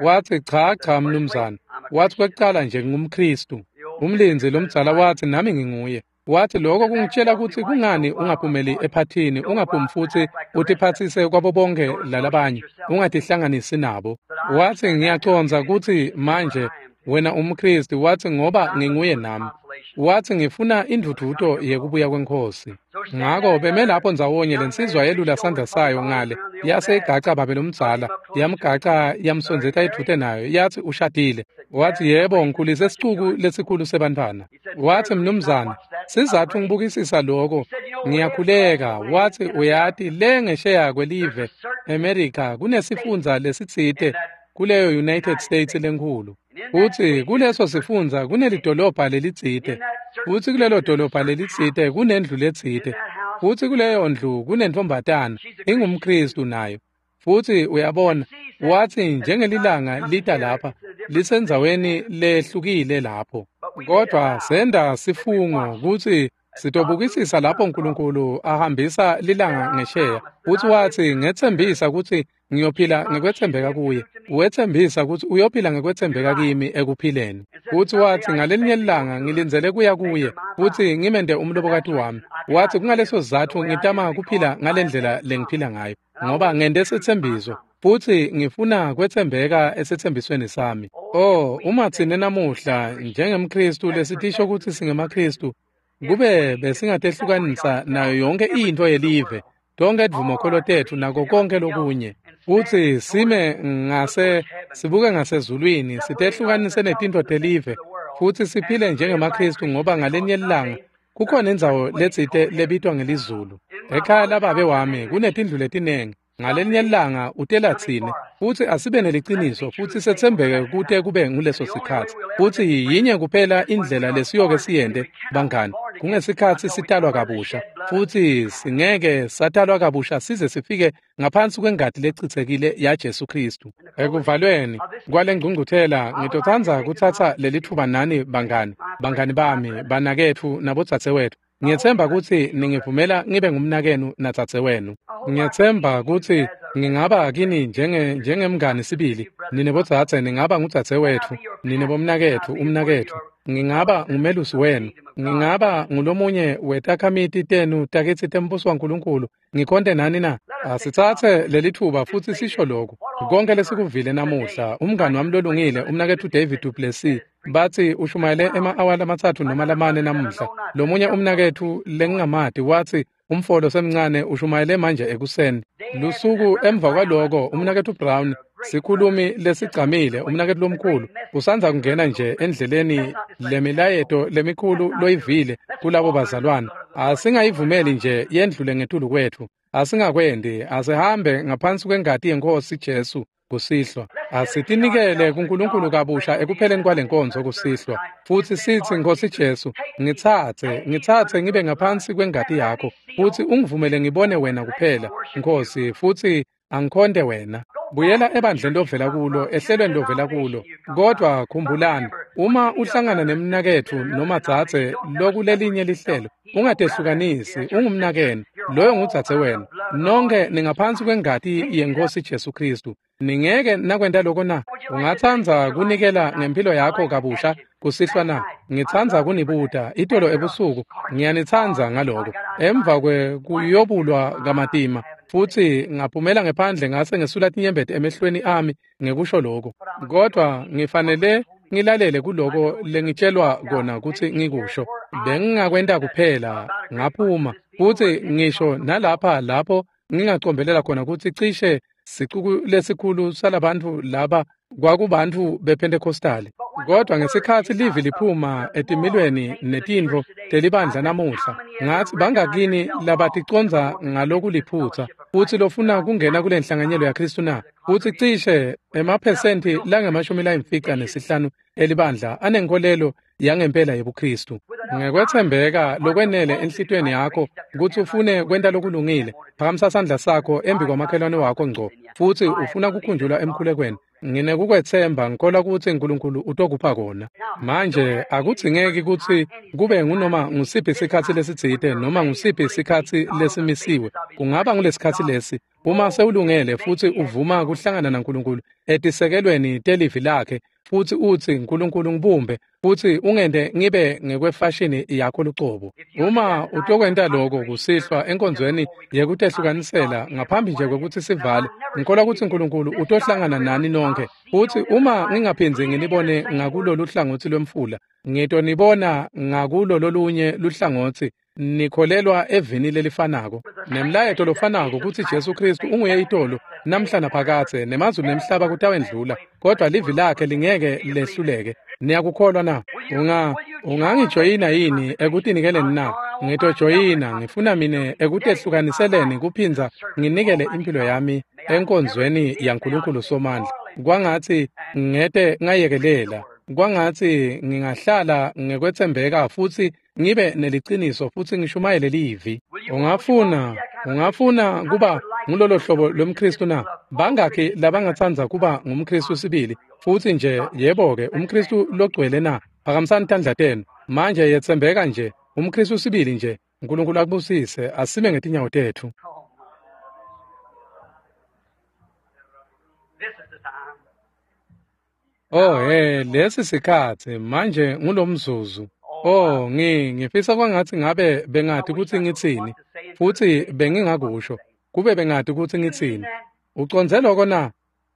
Wathi, "Cha cha mnumzane." Wathi, "Kwekucala nje ngingumKhristu." Umlindzi lomdzala wathi, "Nami nginguye." Wathi, "Lokho kungitshela ukuthi kungani ungaphumeli ephathini, ungaphumi futhi utiphatsise kwabo bonke lalabanye, ungatihlanganisi nabo." Wathi, "Ngiyacondza kutsi manje wena umKhristu." Wathi, "Ngoba nginguye nami." Wathi, "Ngifuna indvudvuto yekubuya kweNkhosi." Ngako beme lapho ndzawonye, lensizwa yelula sandla sayo ngale, yase igaca babe lomdzala, yamgaca yamsondzeta edvute nayo. Yathi, "Ushadile?" Wathi, "Yebo, ngikhulise sicuku lesikhulu sebantfwana." Wathi, "Mnumzane, sizatfu ngibukisisa lokho, ngiyakhuleka." Wathi, "Uyati le ngesheya kwelive America kunesifundza lesitsite kuleyo United States lenkhulu. Futsi kuleso sifundza kunelidolobha lelitsite. Futsi kulelo dolobha lelitsite kunendlu letsite. Futsi kuleyo ndlu kunentombatana ingumKhristu nayo. Futsi uyabona," wathi, "njengelilanga lita lapha, lisendzaweni lehlukile lapho. Kodwa senda sifungo kutsi sitobukisisa lapho uNkulunkulu ahambisa lilanga ngesheya." Futsi wathi, "Ngetsembisa kutsi ngiyophila ngekwetsembeka kuye. Wetsembisa kutsi uyophila ngekwetsembeka kimi ekuphileni." Futsi wathi, "Ngalelinye ilanga ngilindzele kuya kuye futsi ngimende umlobokati wami." Wathi, "Kungaleso sizatfu ngitama kuphila ngalendlela lengiphila ngayo, ngoba ngente setsembiso futhi ngifuna kwetsembeka esetsembisweni sami." Oh, uma tsine namuhla njengemKhristu lesitisho kutsi singemaKhristu, kube besingatehlukanisa nayo yonke into yelive, tonke dvumokholo tetfu nako konke lokunye, futsi sime ngase sibuke ngasezulwini, sitehlukanise netinto telive, futhi siphile njengemaKhristu, ngoba ngalenye ilanga kukhona indzawo letsite lebitwa ngelizulu. Ekhaya lababe wami kunetindlu letinengi. Ngalenye ilanga utela tsine, futhi asibe neliciniso futhi setsembeke kute kube nguleso sikhatsi. Futhi yinye kuphela indlela lesiyoke siyente bangani, kungesikhatsi sitalwa kabusha. Futhi singeke satalwa kabusha size sifike ngaphansi kwengati lechitsekile yaJesu Khristu. Ekuvalweni kwale ngcungcuthela ngitotsandza kutsatsa lelitfuba nani bangani, bangani bami, banaketfu nabodzadzewetfu. Ngiyetsemba kutsi ningivumela ngibe ngumnakenu nadzadzewenu. Ngiyetsemba kutsi ngingaba kini njengemngani sibili. Nine bodzadze ningaba ngudzadzewetfu, nine bomnaketfu, umnaketfu. Ngingaba ngumelusi wenu. Ngingaba ngulomunye wetakhamiti tenu takitsi tembuso waNkulunkulu. Ngikhonte nani na? Asitsatse lelitfuba futsi sisho lokhu. Konke lesikuvile namuhla, umngani wami lolungile, umnaketfu David duPlessis, bathi ushumayele ema-awa 3 noma 4 namuhla. Lomunye umnaketfu lengingamati wathi umfolo semncane ushumayele manje ekuseni. Lusuku emva kwaloko umnaketfu Brown, sikhulumi lesigcamile, umnaketfu lomkhulu, usandza kungena nje endleleni lemilayeto lemikhulu loyivile kulabo bazalwane. Asingayivumeli nje yendlule ngetulu kwetfu. Asingakwendi, asihambe ngaphansi kwengati yeNkhosi Jesu kusihlwa. Asitinikele kuNkulunkulu kabusha ekupheleni kwalenkonzo kusihlwa, futhi sithi, "Nkosi Jesu, ngitsatse ngibe ngaphansi kwengati yakho, futhi ungivumele ngibone wena kuphela, Nkosi, futhi angikhonte wena." Buyela ebandleni lovela kulo, ehlelweni lovela kulo. Kodwa khumbulani, Uma uhlangana nemnaketfu noma dzadze lokulelinye lihlelo, ungatehlukanisi, ungumnakenu, loyo ngudzadze wena. Nonke ningaphansi kwengati yeNkhosi Jesu Khristu. Ningeke nakwenta lokho na? Ungatsandza kunikela ngempilo yakho kabusha kusihlwa na? Ngitsandza kunibuta itolo ebusuku, ngiyanitsandza ngaloko. Emva kwekuyobulwa kamatima, futsi ngaphumela ngephandle ngase ngesula tinyembeti emehlweni ami ngekusho lokho. Kodwa ngifanele ngilalele kuloko lengitshelwa kona kutsi ngikusho. Bengingakwenta kuphela ngaphuma, futsi ngisho nalapha lapho ngingacombelela khona kutsi cishe sicuku lesikhulu salabantu laba kwakubantfu bePentecostali. Kodwa ngesikhatsi livi liphuma etimilweni netintfo telibandla namuhla, ngatsi bangakini labaticondza ngalokuliphutsa futsi lofuna kungena kule nhlanganyelo yaKhristu na? Futsi cishe emaphesenti lange-55 elibandla anenkolelo yangempela yebuKhristu. Ngekwetsembeka lokwenele enhlitiyweni yakho kutsi ufune kwenta lokulungile, phakamisa sandla sakho embi kwamakhelwane wakho ngco, futsi ufuna kukhunjulwa emkhulekweni. Nginekukwetsemba ngikholwa kutsi uNkulunkulu utokupha kona. Manje akudzingeki kutsi kube ngunoma ngusiphi sikhatsi lesitsite noma ngusiphi sikhatsi lesimisiwe. Kungaba ngulesikhatsi lesi uma sewulungele futsi uvuma kuhlangana naNkulunkulu etisekelweni telivi lakhe, futsi utsi uNkulunkulu ngibumbe futsi ungente ngibe ngekwefashini yakho lucobo. Uma utokwenta lokho kusihlwa enkonzweni yekutehlukanisela ngaphambi nje kwekutsi sivale, ngikholwa kutsi uNkulunkulu utohlangana nani nonke. Futsi uma ngingaphindzi nginibone ngakulolu hlangotsi lwemfula, ngitonibona ngakulo lolunye luhlangotsi, nikholelwa evini lelifanako nemlayeto lofanako kutsi Jesu Khristu unguye itolo namhla naphakadze, nemazulu nemhlaba kutawendlula, kodwa livi lakhe lingeke lehluleke. Niyakukholwa na? Ungangijoyina yini ekutinikeleni na? Ngitojoyina, ngifuna mine ekutehlukaniselen kuphindza nginikele impilo yami enkonzweni yaNkulunkulu Somandla. Kwangatsi ngete ngayekelela, kwangatsi ngingahlala ngekwetsembeka futsi ngibe neliciniso futsi ngishumayele livi. Ungafuna kuba ngulolo hlobo lwemKhristu na? Bangakhi labangatsandza kuba ngumKhristu sibili futsi nje yebo-ke umKhristu logcwele na? Phakamisani tandla tenu manje, yetsembeka nje umKhristu sibili nje. uNkulunkulu akubusise. Asime ngetinyawo tetfu. Oh he, lesi sikhatsi manje ngulomzuzu. Oh, ngifisa kwangatsi ngabe bengati kutsi ngitsini, futsi bengingakusho kube bengati kutsi ngitsini. Ucondze lokho na?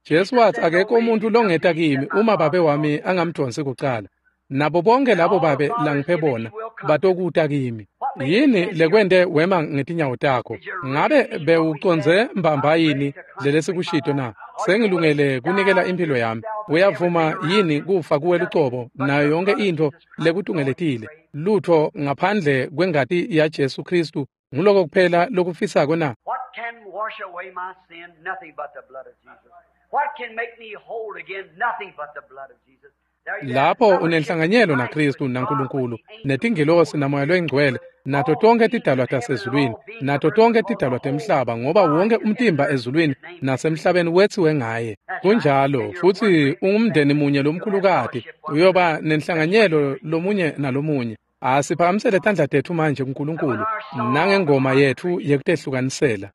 Jesu watsi akekho umuntu longeta kimi uma babe wami angamdonsi kucala. Nabo bonke labo babe langiphe bona batokuta kimi. Yini lekwente wema ngetinyawo takho? Ngabe bewucondze mbamba yini lelesikushito na? Sengilungele kunikela impilo yami. Uyavuma yini kufa kuwe lucobo nayo yonke intfo lekutungeletile? Lutho ngaphandle kwengati ya Jesu Khristu nguloko kuphela lokufisako na? What can wash away my sin? Nothing but the blood of Jesus. What can make me whole again? Nothing but the blood of Jesus. Lapho unenhlanganyelo naKhristu naNkulunkulu netingilosi naMoya loyiNgcwele nato tonke tidalwa tasezulwini nato tonke tidalwa temhlaba, ngoba wonke umtimba ezulwini nasemhlabeni wetsiwe ngaye. Kunjalo, futsi ungumndeni munye lomkhulukati, uyoba nenhlanganyelo lomunye nalomunye. Asiphakamisele tandla tetfu manje kuNkulunkulu nangengoma yetfu yekutehlukanisela.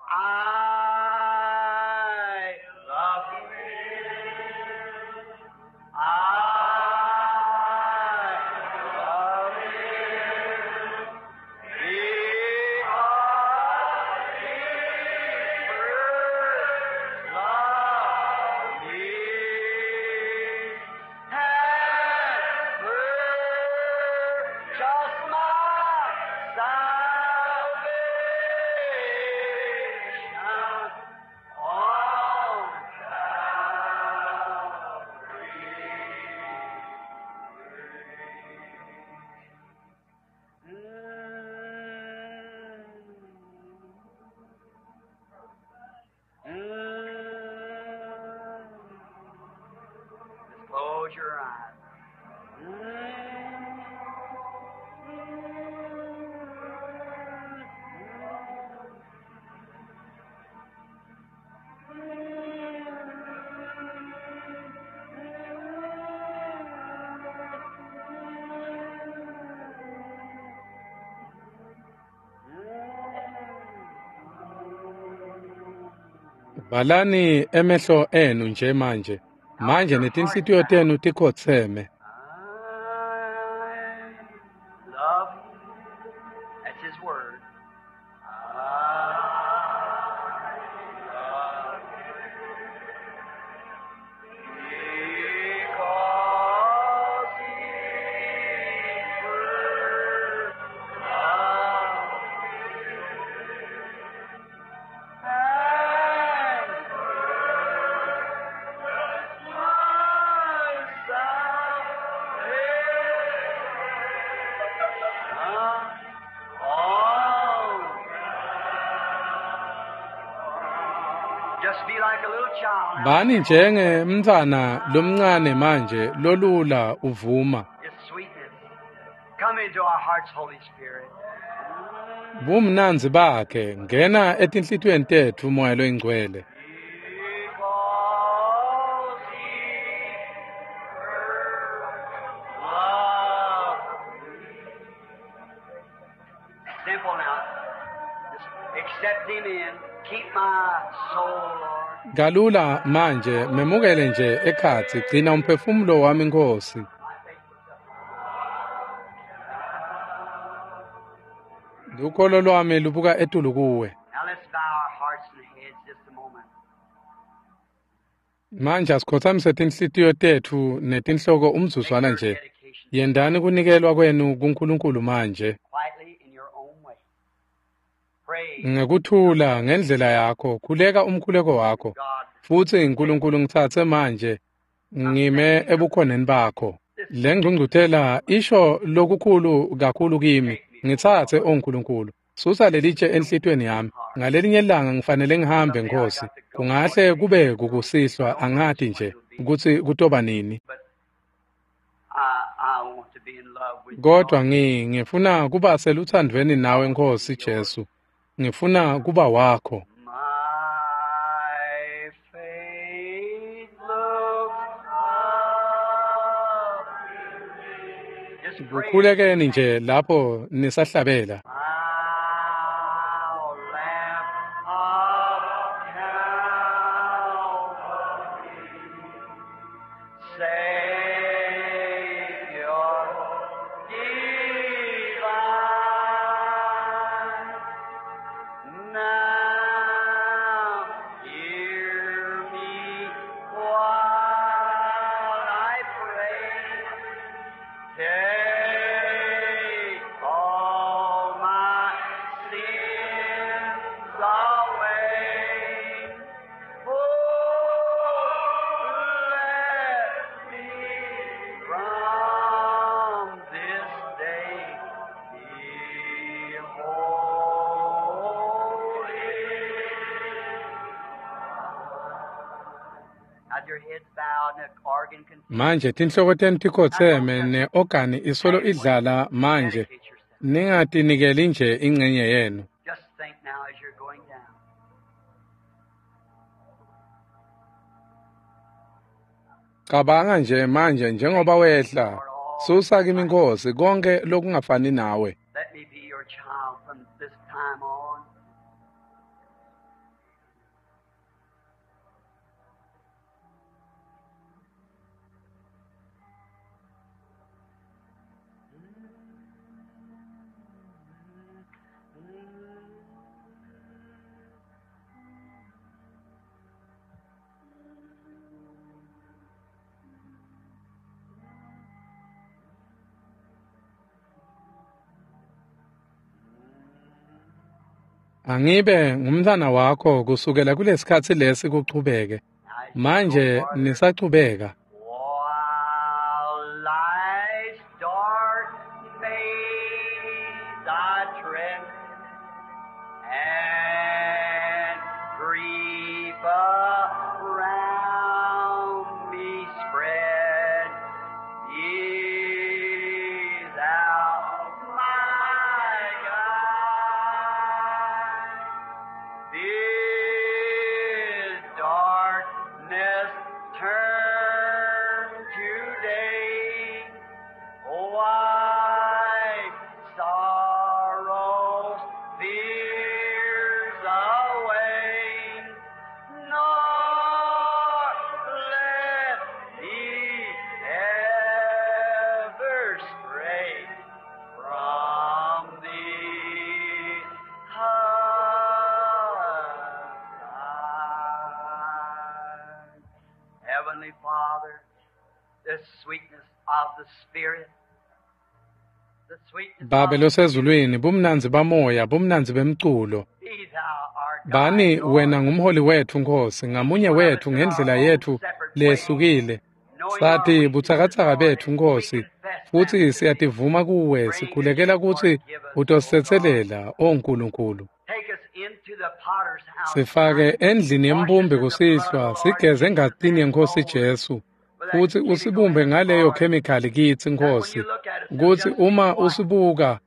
Valani emehlo enu nje manje. Manje netinhlitiyo tenu tikhotseme. I love you. That's his word. I love you. Because he first loved me. And my salvation on. Just be like a little child now. Bani njenge mntwana lomncane manje lolula uvuma. It's sweetness. Come into our hearts, Holy Spirit. Bumnandzi bakhe ngena etinhlitiyweni tetfu Moya loyiNgcwele. Because he first loved me. Simple now. Just accept him in. Keep my soul, Lord. Kalula manje memukele nje ekhatsi gcina umphefumulo wami Nkosi. My faith looks up. Lukholo lwami lubuka etulu kuwe. Now let's bow our hearts and heads just a moment. Manje asikhothamise tinhlitiyo tetfu netinhloko Make umzuzwana your nje. dedication Yendani kunikelwa kwenu kuNkulunkulu manje. quietly in your own way. Pray, Ngekuthula ngendlela yakho, khuleka umkhuleko wakho. God, Futsi uNkulunkulu ngitsatse manje ngime ebukhoneni bakho. Le ngqungquthela isho lokukhulu kakhulu kimi. Ngitsatse o Nkulunkulu. Susa lelitshe enhlitiyweni yami. Ngalelinye ilanga ngifanele ngihambe someday I Nkosi. got to go one Kungahle day. kube kukusihlwa I don't know angati which one nje it'll be, ukuthi kutoba nini. but I want to be in love with you, Kodwa Lord. ngifuna kuba seluthandweni I nawe want to Nkosi be yours. Jesu. Ngifuna kuba wakho. My faith looks up. Just pray as you Kukhulekeni sing. nje lapho nisahlabela. Thou Lamb of Calvary, Savior divine, now hear me while I pray. Take all my sins away. Oh, let me from this day be holy. Now your heads bowed and the organ continues. Manje tinhloko tenu Now don't tikhotseme just ne-organi isolo halfway idlala manje. dedicate yourself. Ningatinikeli nje ingcenye yenu. Just think now as you're going down. Cabanga nje manje njengoba Take me, wehla. Lord, all Susa kimi my Nkosi konke lokungafani nawe. let me be your child from this time on. Angibe ngumntwana wakho kusukela kulesikhatsi lesi kuchubeke. Now as you go Manje farther, nisachubeka. while life's dark maze I tread, and grief around me spread, be thou my guide. Bid darkness turn. Father, the sweetness of the Spirit. The sweetness Babe of the losezulwini, bumnandzi bamoya, bumnandzi bemculo. Be thou our guide, Bani wena Lord. ngumholi wethu Nkosi, ngamunye Each one of us wethu in our ngendlela own yethu separate way, lehlukile. knowing our Sathi weaknesses, butsakatsaka Lord, bethu and we Nkosi, confess them futhi to thee, siyativuma kuwe, praying that sikhulekela you kutsi forgive us, O God. utosetselela, o Nkulunkulu. Take us into the potter's house Sifake tonight. endlini Wash us yembumbi in the blood of kusihlwa, the Lord sigeze Jesus engatini and yeNkosi mold us Jesu, with that futsi chemical usibumbe in us, ngaleyo Lord, khemikhali kitsi that when Nkosi, you look at us, it'll kutsi just be uma white. usibuka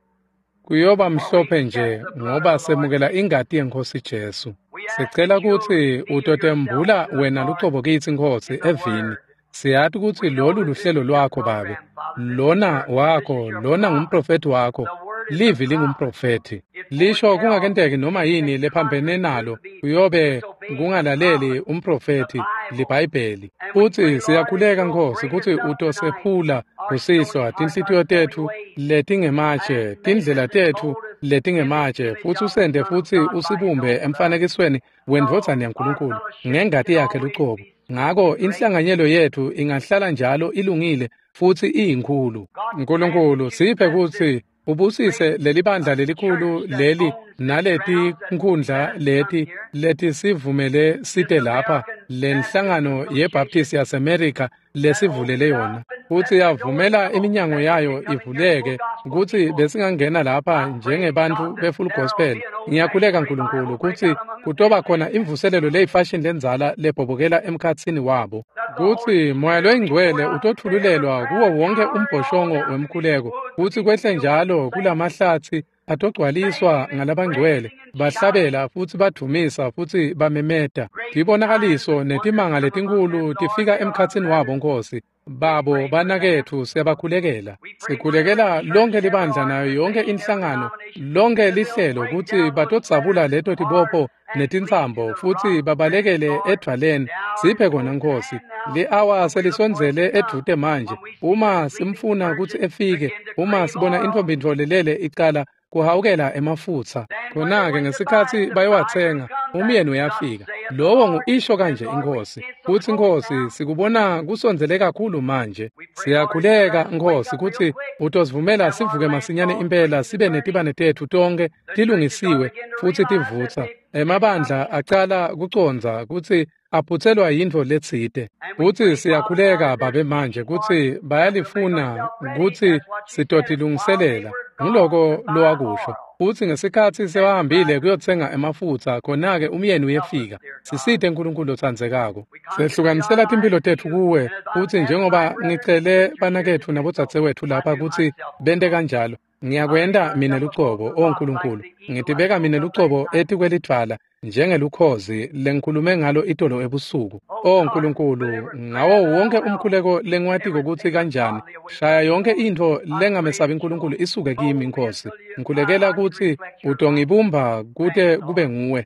kuyoba For we mhlophe accept nje the blood of ngoba the Lord semukela Jesus. ingati yeNkosi Jesu. We ask Sicela that you'll kutsi reveal yourself utotembula to us, wena Lord, lucobo kitsi Nkosi in the evini. Word. Siyati kutsi We know lolu that this luhlelo is your lwakho Babe. program, Father. This is Lona your this is wakho, your lona prophet. ngumprofethi wakho. The word is the Livi prophet. lingumprofethi. It Lisho foretells kungakenteki noma yini anything lephambene contrary to nalo it be kuyobe disobeying the kungalaleli prophet, the umprofethi Bible. liBhayibheli. And we pray, Futsi Lord, that siyakhuleka you'll Nkosi break kutsi us up tonight, utosephula our stony kusihlwa hearts, our tinhlitiyo stony tethu ways, letingematshe, and make tindlela us and tethu mold us in the letingematshe, image futsi of the usente Son of futsi God by His usibumbe own blood. emfanekisweni So wendvodzana our yaNkulunkulu fellowship ngengati can yakhe always lucobo. be sweet Ngako and great. inhlanganyelo yethu ingahlala njalo ilungile futsi iyinkhulu. God grant Nkulunkulu that you siphe bless this kutsi ubusise great lelibandla lelikhulu church that leli owns this naleti grounds that nkhundla let us come leti here, letisivumele this site lapha American Baptist lenhlangano Association yeBaptist yaseMerica that opened lesivulele yona up and futsi let the doors yavumela open iminyango that we yayo could come in here full ivuleke gospel kutsi people. besingangena lapha I pray, njengebantfu God, that be-full there'll gospel. be an old Ngiyakhuleka fashioned revival Nkulunkulu break kutsi out among the kutoba khona businessmen, imvuselelo leyifashini lendzala lebhobokela emkhatsini wabo that the Holy kutsi moya Spirit will be poured loyingcwele out to every utotfululelwa kuwo prayer wonke tower and all umbhoshongo down through these wemkhuleko woods will kutsi be kwehle filled with njalo saints kulamahlatsi atogcwaliswa thanking and ngalabangcwele praising and shouting. bahlabela futsi badvumisa futsi bamemeta. Great signs Tibonakaliso and wonders netimanga come among them, letinkhulu Lord. tifika They are emkhatsini wabo brethren. Nkosi. We Babo pray for them. banaketfu siyabakhulekela. We pray for every Sikhulekela church, lonke every libandla nayo yonke organization, every inhlangano, denomination, lonke that they'll lihlelo break kutsi down those batodzabula fetters leto hard tibopho and flee to netintsambo the futsi rock that is babalekele Lord. edvwaleni. The hour is Siphe kona close at Nkosi. hand now Li-awa when we look for it selisondzele to come. edvute manje. When we see the Uma sleeping simfuna kutsi virgin efike, begin to uma crave sibona oil, intfombi lelele icala kuhawukela emafutsa. then when they Khona-ke went to buy ngesikhatsi it, the bridegroom bayowatsenga, comes that umyeni thus uyafika. saith the Lowo Lord. ngu-isho And kanje Lord, we iNkhosi. see it so Futsi close Nkhosi now. sikubona kusondzele kakhulu manje. We pray, Lord, that you Siyakhuleka let us wake Nkhosi up real kutsi quick. utosivumela Have our sivuke lamps masinyane all impela clean and sibe burning. netibane tetfu tonkhe The churches are tilungisiwe begin to futsi realize that tivutsa. they've missed Emabandla something. acala kucondza kutsi aphutselwa yintfo letsite. And we Futsi pray, Father, now siyakhuleka that Babe there's manje seeking for kutsi it, that we'll make bayalifuna ourselves ready. kutsi That's what you said. While they sitotilungiselela. were gone Nguloko to buy lowakusho. oil, Futsi ngesikhatsi then the sewahambile bridegroom kuyotsenga emafutsa khona-ke umyeni help us, uyefika. dear God. Sisite Nkulunkulu lotsandzekako. We consecrate our Sehlukanisela lives timphilo to tetfu you, kuwe and as I've futsi asked my njengoba brethren ngicele and sisters here to banaketfu do so, nabodzadzewetfu I lapha do kutsi myself, O bente God. kanjalo. I lay Ngiyakwenta mine myself above lucobo, the o rock like Nkulunkulu. the eagle I Ngitibeka spoke mine of lucobo last night. etikwelidvwala njengelukhozi lengikhulume ngalo itolo ebusuku. Oh O God, put Nkulunkulu, every prayer ngawo that I wonke know how, umkhuleko lengiwatiko kutsi everything kanjani, ungodly away shaya from me, yonke Lord. intfo I pray lengamesabi that Nkulunkulu you'll isuke kimi mold me Nkhosi. until you, Ngikhulekela I can kutsi reflect your light. utongibumba kute Thanks, kube Lord. nguwe.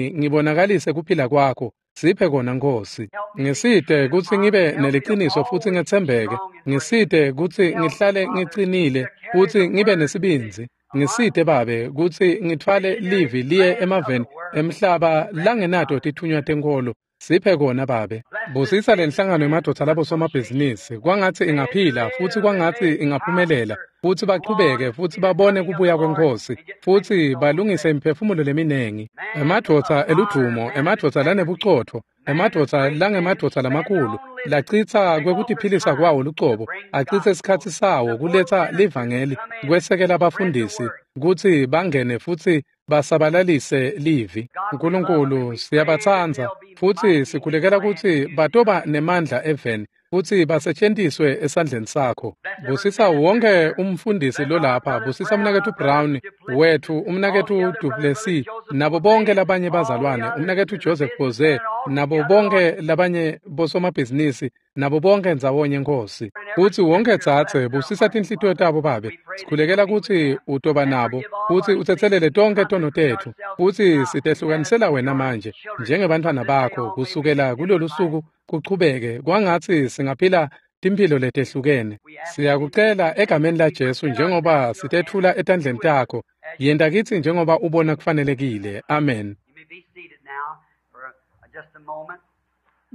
Ngibonakalise kuphila kwakho. Siphe kona Nkhosi. Help me be true Ngisite and kutsi honest. ngibe Help me to neliciniso futsi always be ngetsembeke. strong and brave. Ngisite kutsi Help me, ngihlale Father, ngicinile to carry futsi the ngibe word to the nesibindzi. Ngisite Babe kutsi ngitfwale unmissionary livi liye lands of the emaveni world. emhlaba Grant it, langenato Father. tithunywa tenkholo. Siphe kona Babe. Bless this Busisa lenhlangano businessman's yemadvodza association. labosomabhizinisi. Kwangatsi May it ingaphila futsi live and kwangatsi may it ingaphumelela prosper futsi and go on bachubeke and futsi see the babone coming of the kubuya Lord kweNkhosi and get many futsi souls balungise saved. imiphefumulo leminengi. Man of Emadvodza honor, eludvumo, man of emadvodza integrity, lanebucotfo, man of emadvodza great men who langemadvodza spend their lamakhulu, own living, lacitsa take off their kwekutiphilisa time kwawo to lucobo, bring the acitse gospel. sikhatsi sawo Support kuletsa ministers to livangeli, come in kwesekela and spread the abafundisi word. kutsi bangene futsi basabalalise livi. God, we love them and Nkulunkulu we pray that siyabatsandza they'll be futsi mighty in the sikhulekela land kutsi to do the batoba work. nemandla eveni futsi basetjentiswe esandleni sakho. Bless every Busisa minister wonke here. umfundisi Bless our lolapha, brother busisa Brown, umnaketfu our brother Brown Duplessis, wethu, all the umnaketfu other brother, brother Duplessis, Joseph nabo Jose, bonke labanye all the bazalwane, others, umnaketfu the Joseph businessmen Jose, and all nabo together, bonke Lord, labanye bosomabhizinisi, nabo bonke ndzawonye Nkhosi. and every Kutsi wonke sister, bless dzadze their busisa hearts, tinhlitiyo Father. tabo Babe. We pray that you'll Sikhulekela be with kutsi them utoba and nabo forgive all futsi our sins. utsetselele We tonkhe tono consecrate tetfu ourselves to futsi you now as sitehlukanisela wena your manje children. From njengebantfwana this day bakho on, may we kusukela live kulolu different lives. suku kuchubeke kwangatsi singaphila timphilo letehlukene. We ask it in Siyakucela Jesus' name egameni as la we Jesu present ourselves njengoba in your hands. sitethula etandleni Do with us takho. as you Yenta please. kitsi njengoba ubona kufanelekile. Amen. You may be seated now for just a moment.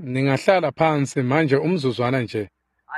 Ningahlala phansi manje umzuzwana nje.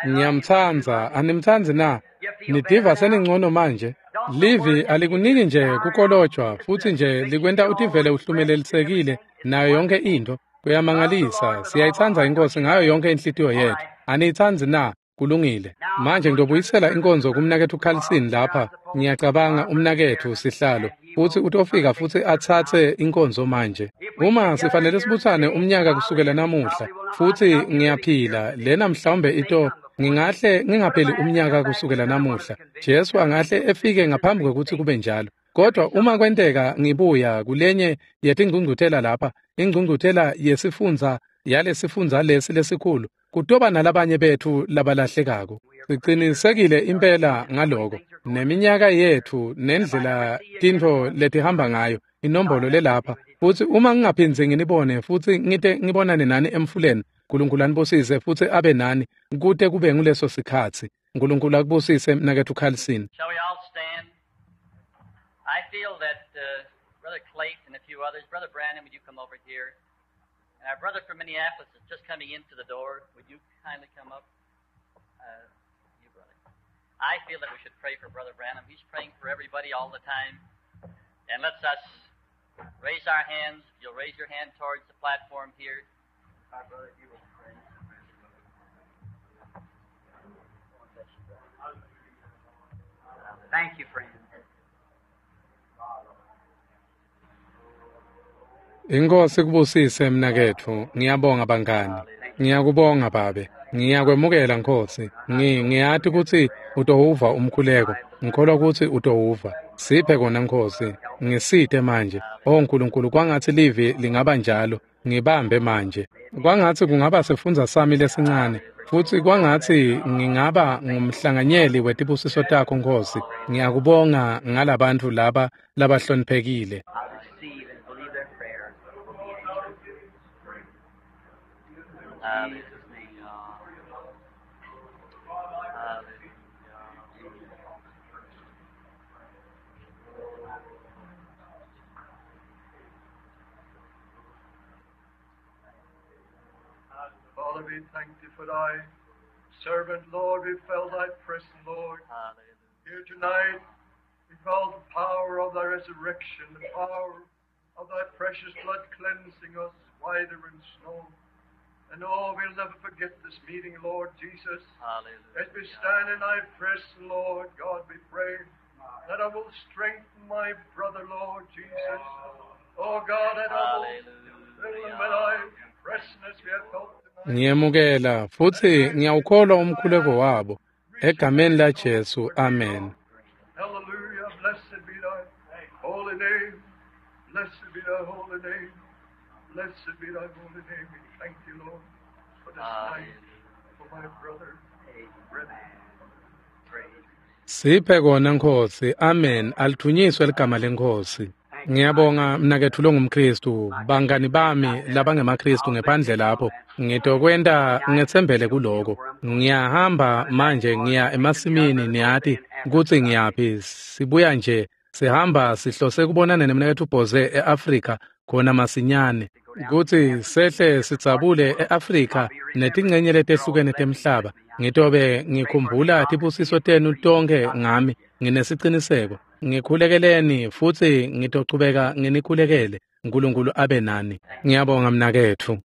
Ngiyamtsandza, animtsandzi na? Nitiva seningcono manje? Livi alikuniki nje kukolojwa futsi nje likwenta utivele uhlumelelisekile nayo yonke into. Kuyamangalisa, siyayitsandza iNkosi ngayo yonke inhlitiyo yetfu. Aniyitsandzi na? Kulungile. Manje ngitobuyisela inkonzo kumnaketfu Carlson lapha. Ngiyacabanga umnaketfu sihlalo futsi utofika futsi atsatse inkonzo manje. Uma sifanele sibutsane umnyaka kusukela namuhla futsi ngiyaphila lena mhlawumbe ito ngingahle ngingapheli umnyaka kusukela namuhla. Jesu angahle efike ngaphambi kwekutsi kube njalo. Kodwa uma kwenteka ngibuya kulenye yetingcungcuthela lapha, ingcungcuthela yesifundza yalesifundza lesi lesikhulu, kutoba nalabanye betfu labalahlekako. Sicinisekile impela ngaloko. Neminyaka yetfu nendlela tintfo letihamba ngayo, inombolo lelapha. Futsi uma ngingaphindzi nginibone futsi ngite ngibonane nani emfuleni, Nkulunkulu anibusise futsi abe nani kute kube nguleso sikhatsi. Nkulunkulu akubusise mnaketfu Carlson. Shall we all stand? I feel that Brother Clayton and a few others, Brother Brandon, would you come over here? And our brother from Minneapolis is just coming into the door. Would you kindly come up? You, brother. I feel that we should pray for Brother Branham. He's praying for everybody all the time. And let's us raise our hands. If you'll raise your hand towards the platform here. Our brother, you will pray. Thank you, friend. Inkosi kubusise mnaketfu. Ngiyabonga bangani. Ngiyakubonga babe. Ngiyakwemukela Nkosi. Ngiyati kutsi utowuva umkhuleko. Ngikholwa kutsi utowuva. Siphe kona Nkosi. Ngisite manje. O Nkulunkulu, kwangatsi livi lingaba njalo. Ngibambe manje. Kwangatsi kungaba sifundza sami lesincane. Futsi kwangatsi ngingaba ngumhlanganyeli wetibusiso takho Nkosi. Ngiyakubonga ngalabantu laba labahloniphekile. I receive and believe their prayer will be answered. In Jesus' name. Hallelujah. Father, we thank thee for thy servant, Lord. We felt thy presence, Lord. Hallelujah. Here tonight, we felt the power of thy resurrection, the power of thy precious blood cleansing us whiter than snow. And oh, we'll never forget this meeting, Lord Jesus. Hallelujah. As we stand in thy presence, Lord God, we pray that I will strengthen my brother, Lord Jesus. Oh God, that I will fill him with thy presence as we have felt tonight. Ngiyemukela futsi ngiyawukholwa umkhuleko wabo. Egameni la Jesu, amen. Hallelujah. Blessed be thy holy name. Blessed be thy holy name. Blessed be thy holy name. We thank you, Lord, for this night, for my brother, brethren. Siphe kona Nkosi. Amen. Alithunyiswe ligama leNkosi. Ngiyabonga mnaketfu longumKristu, bangani bami labangemaKristu ngephandle lapho. Ngitokwenta ngetsembele kuloko. Ngiyahamba manje ngiya emasimini niyati kutsi ngiyaphi. Sibuya nje sihamba sihlose kubonana nemnaketfu Bose eAfrika khona masinyane. Kutsi sehle sidzabule eAfrika netincenye letehlukene temhlaba. Ngitobe ngikhumbula tibusiso tenu tonkhe ngami nginesiciniseko. Ngikhulekeleni futsi ngitochubeka nginikhulekele. Nkulunkulu abe nani. Ngiyabonga mnaketfu.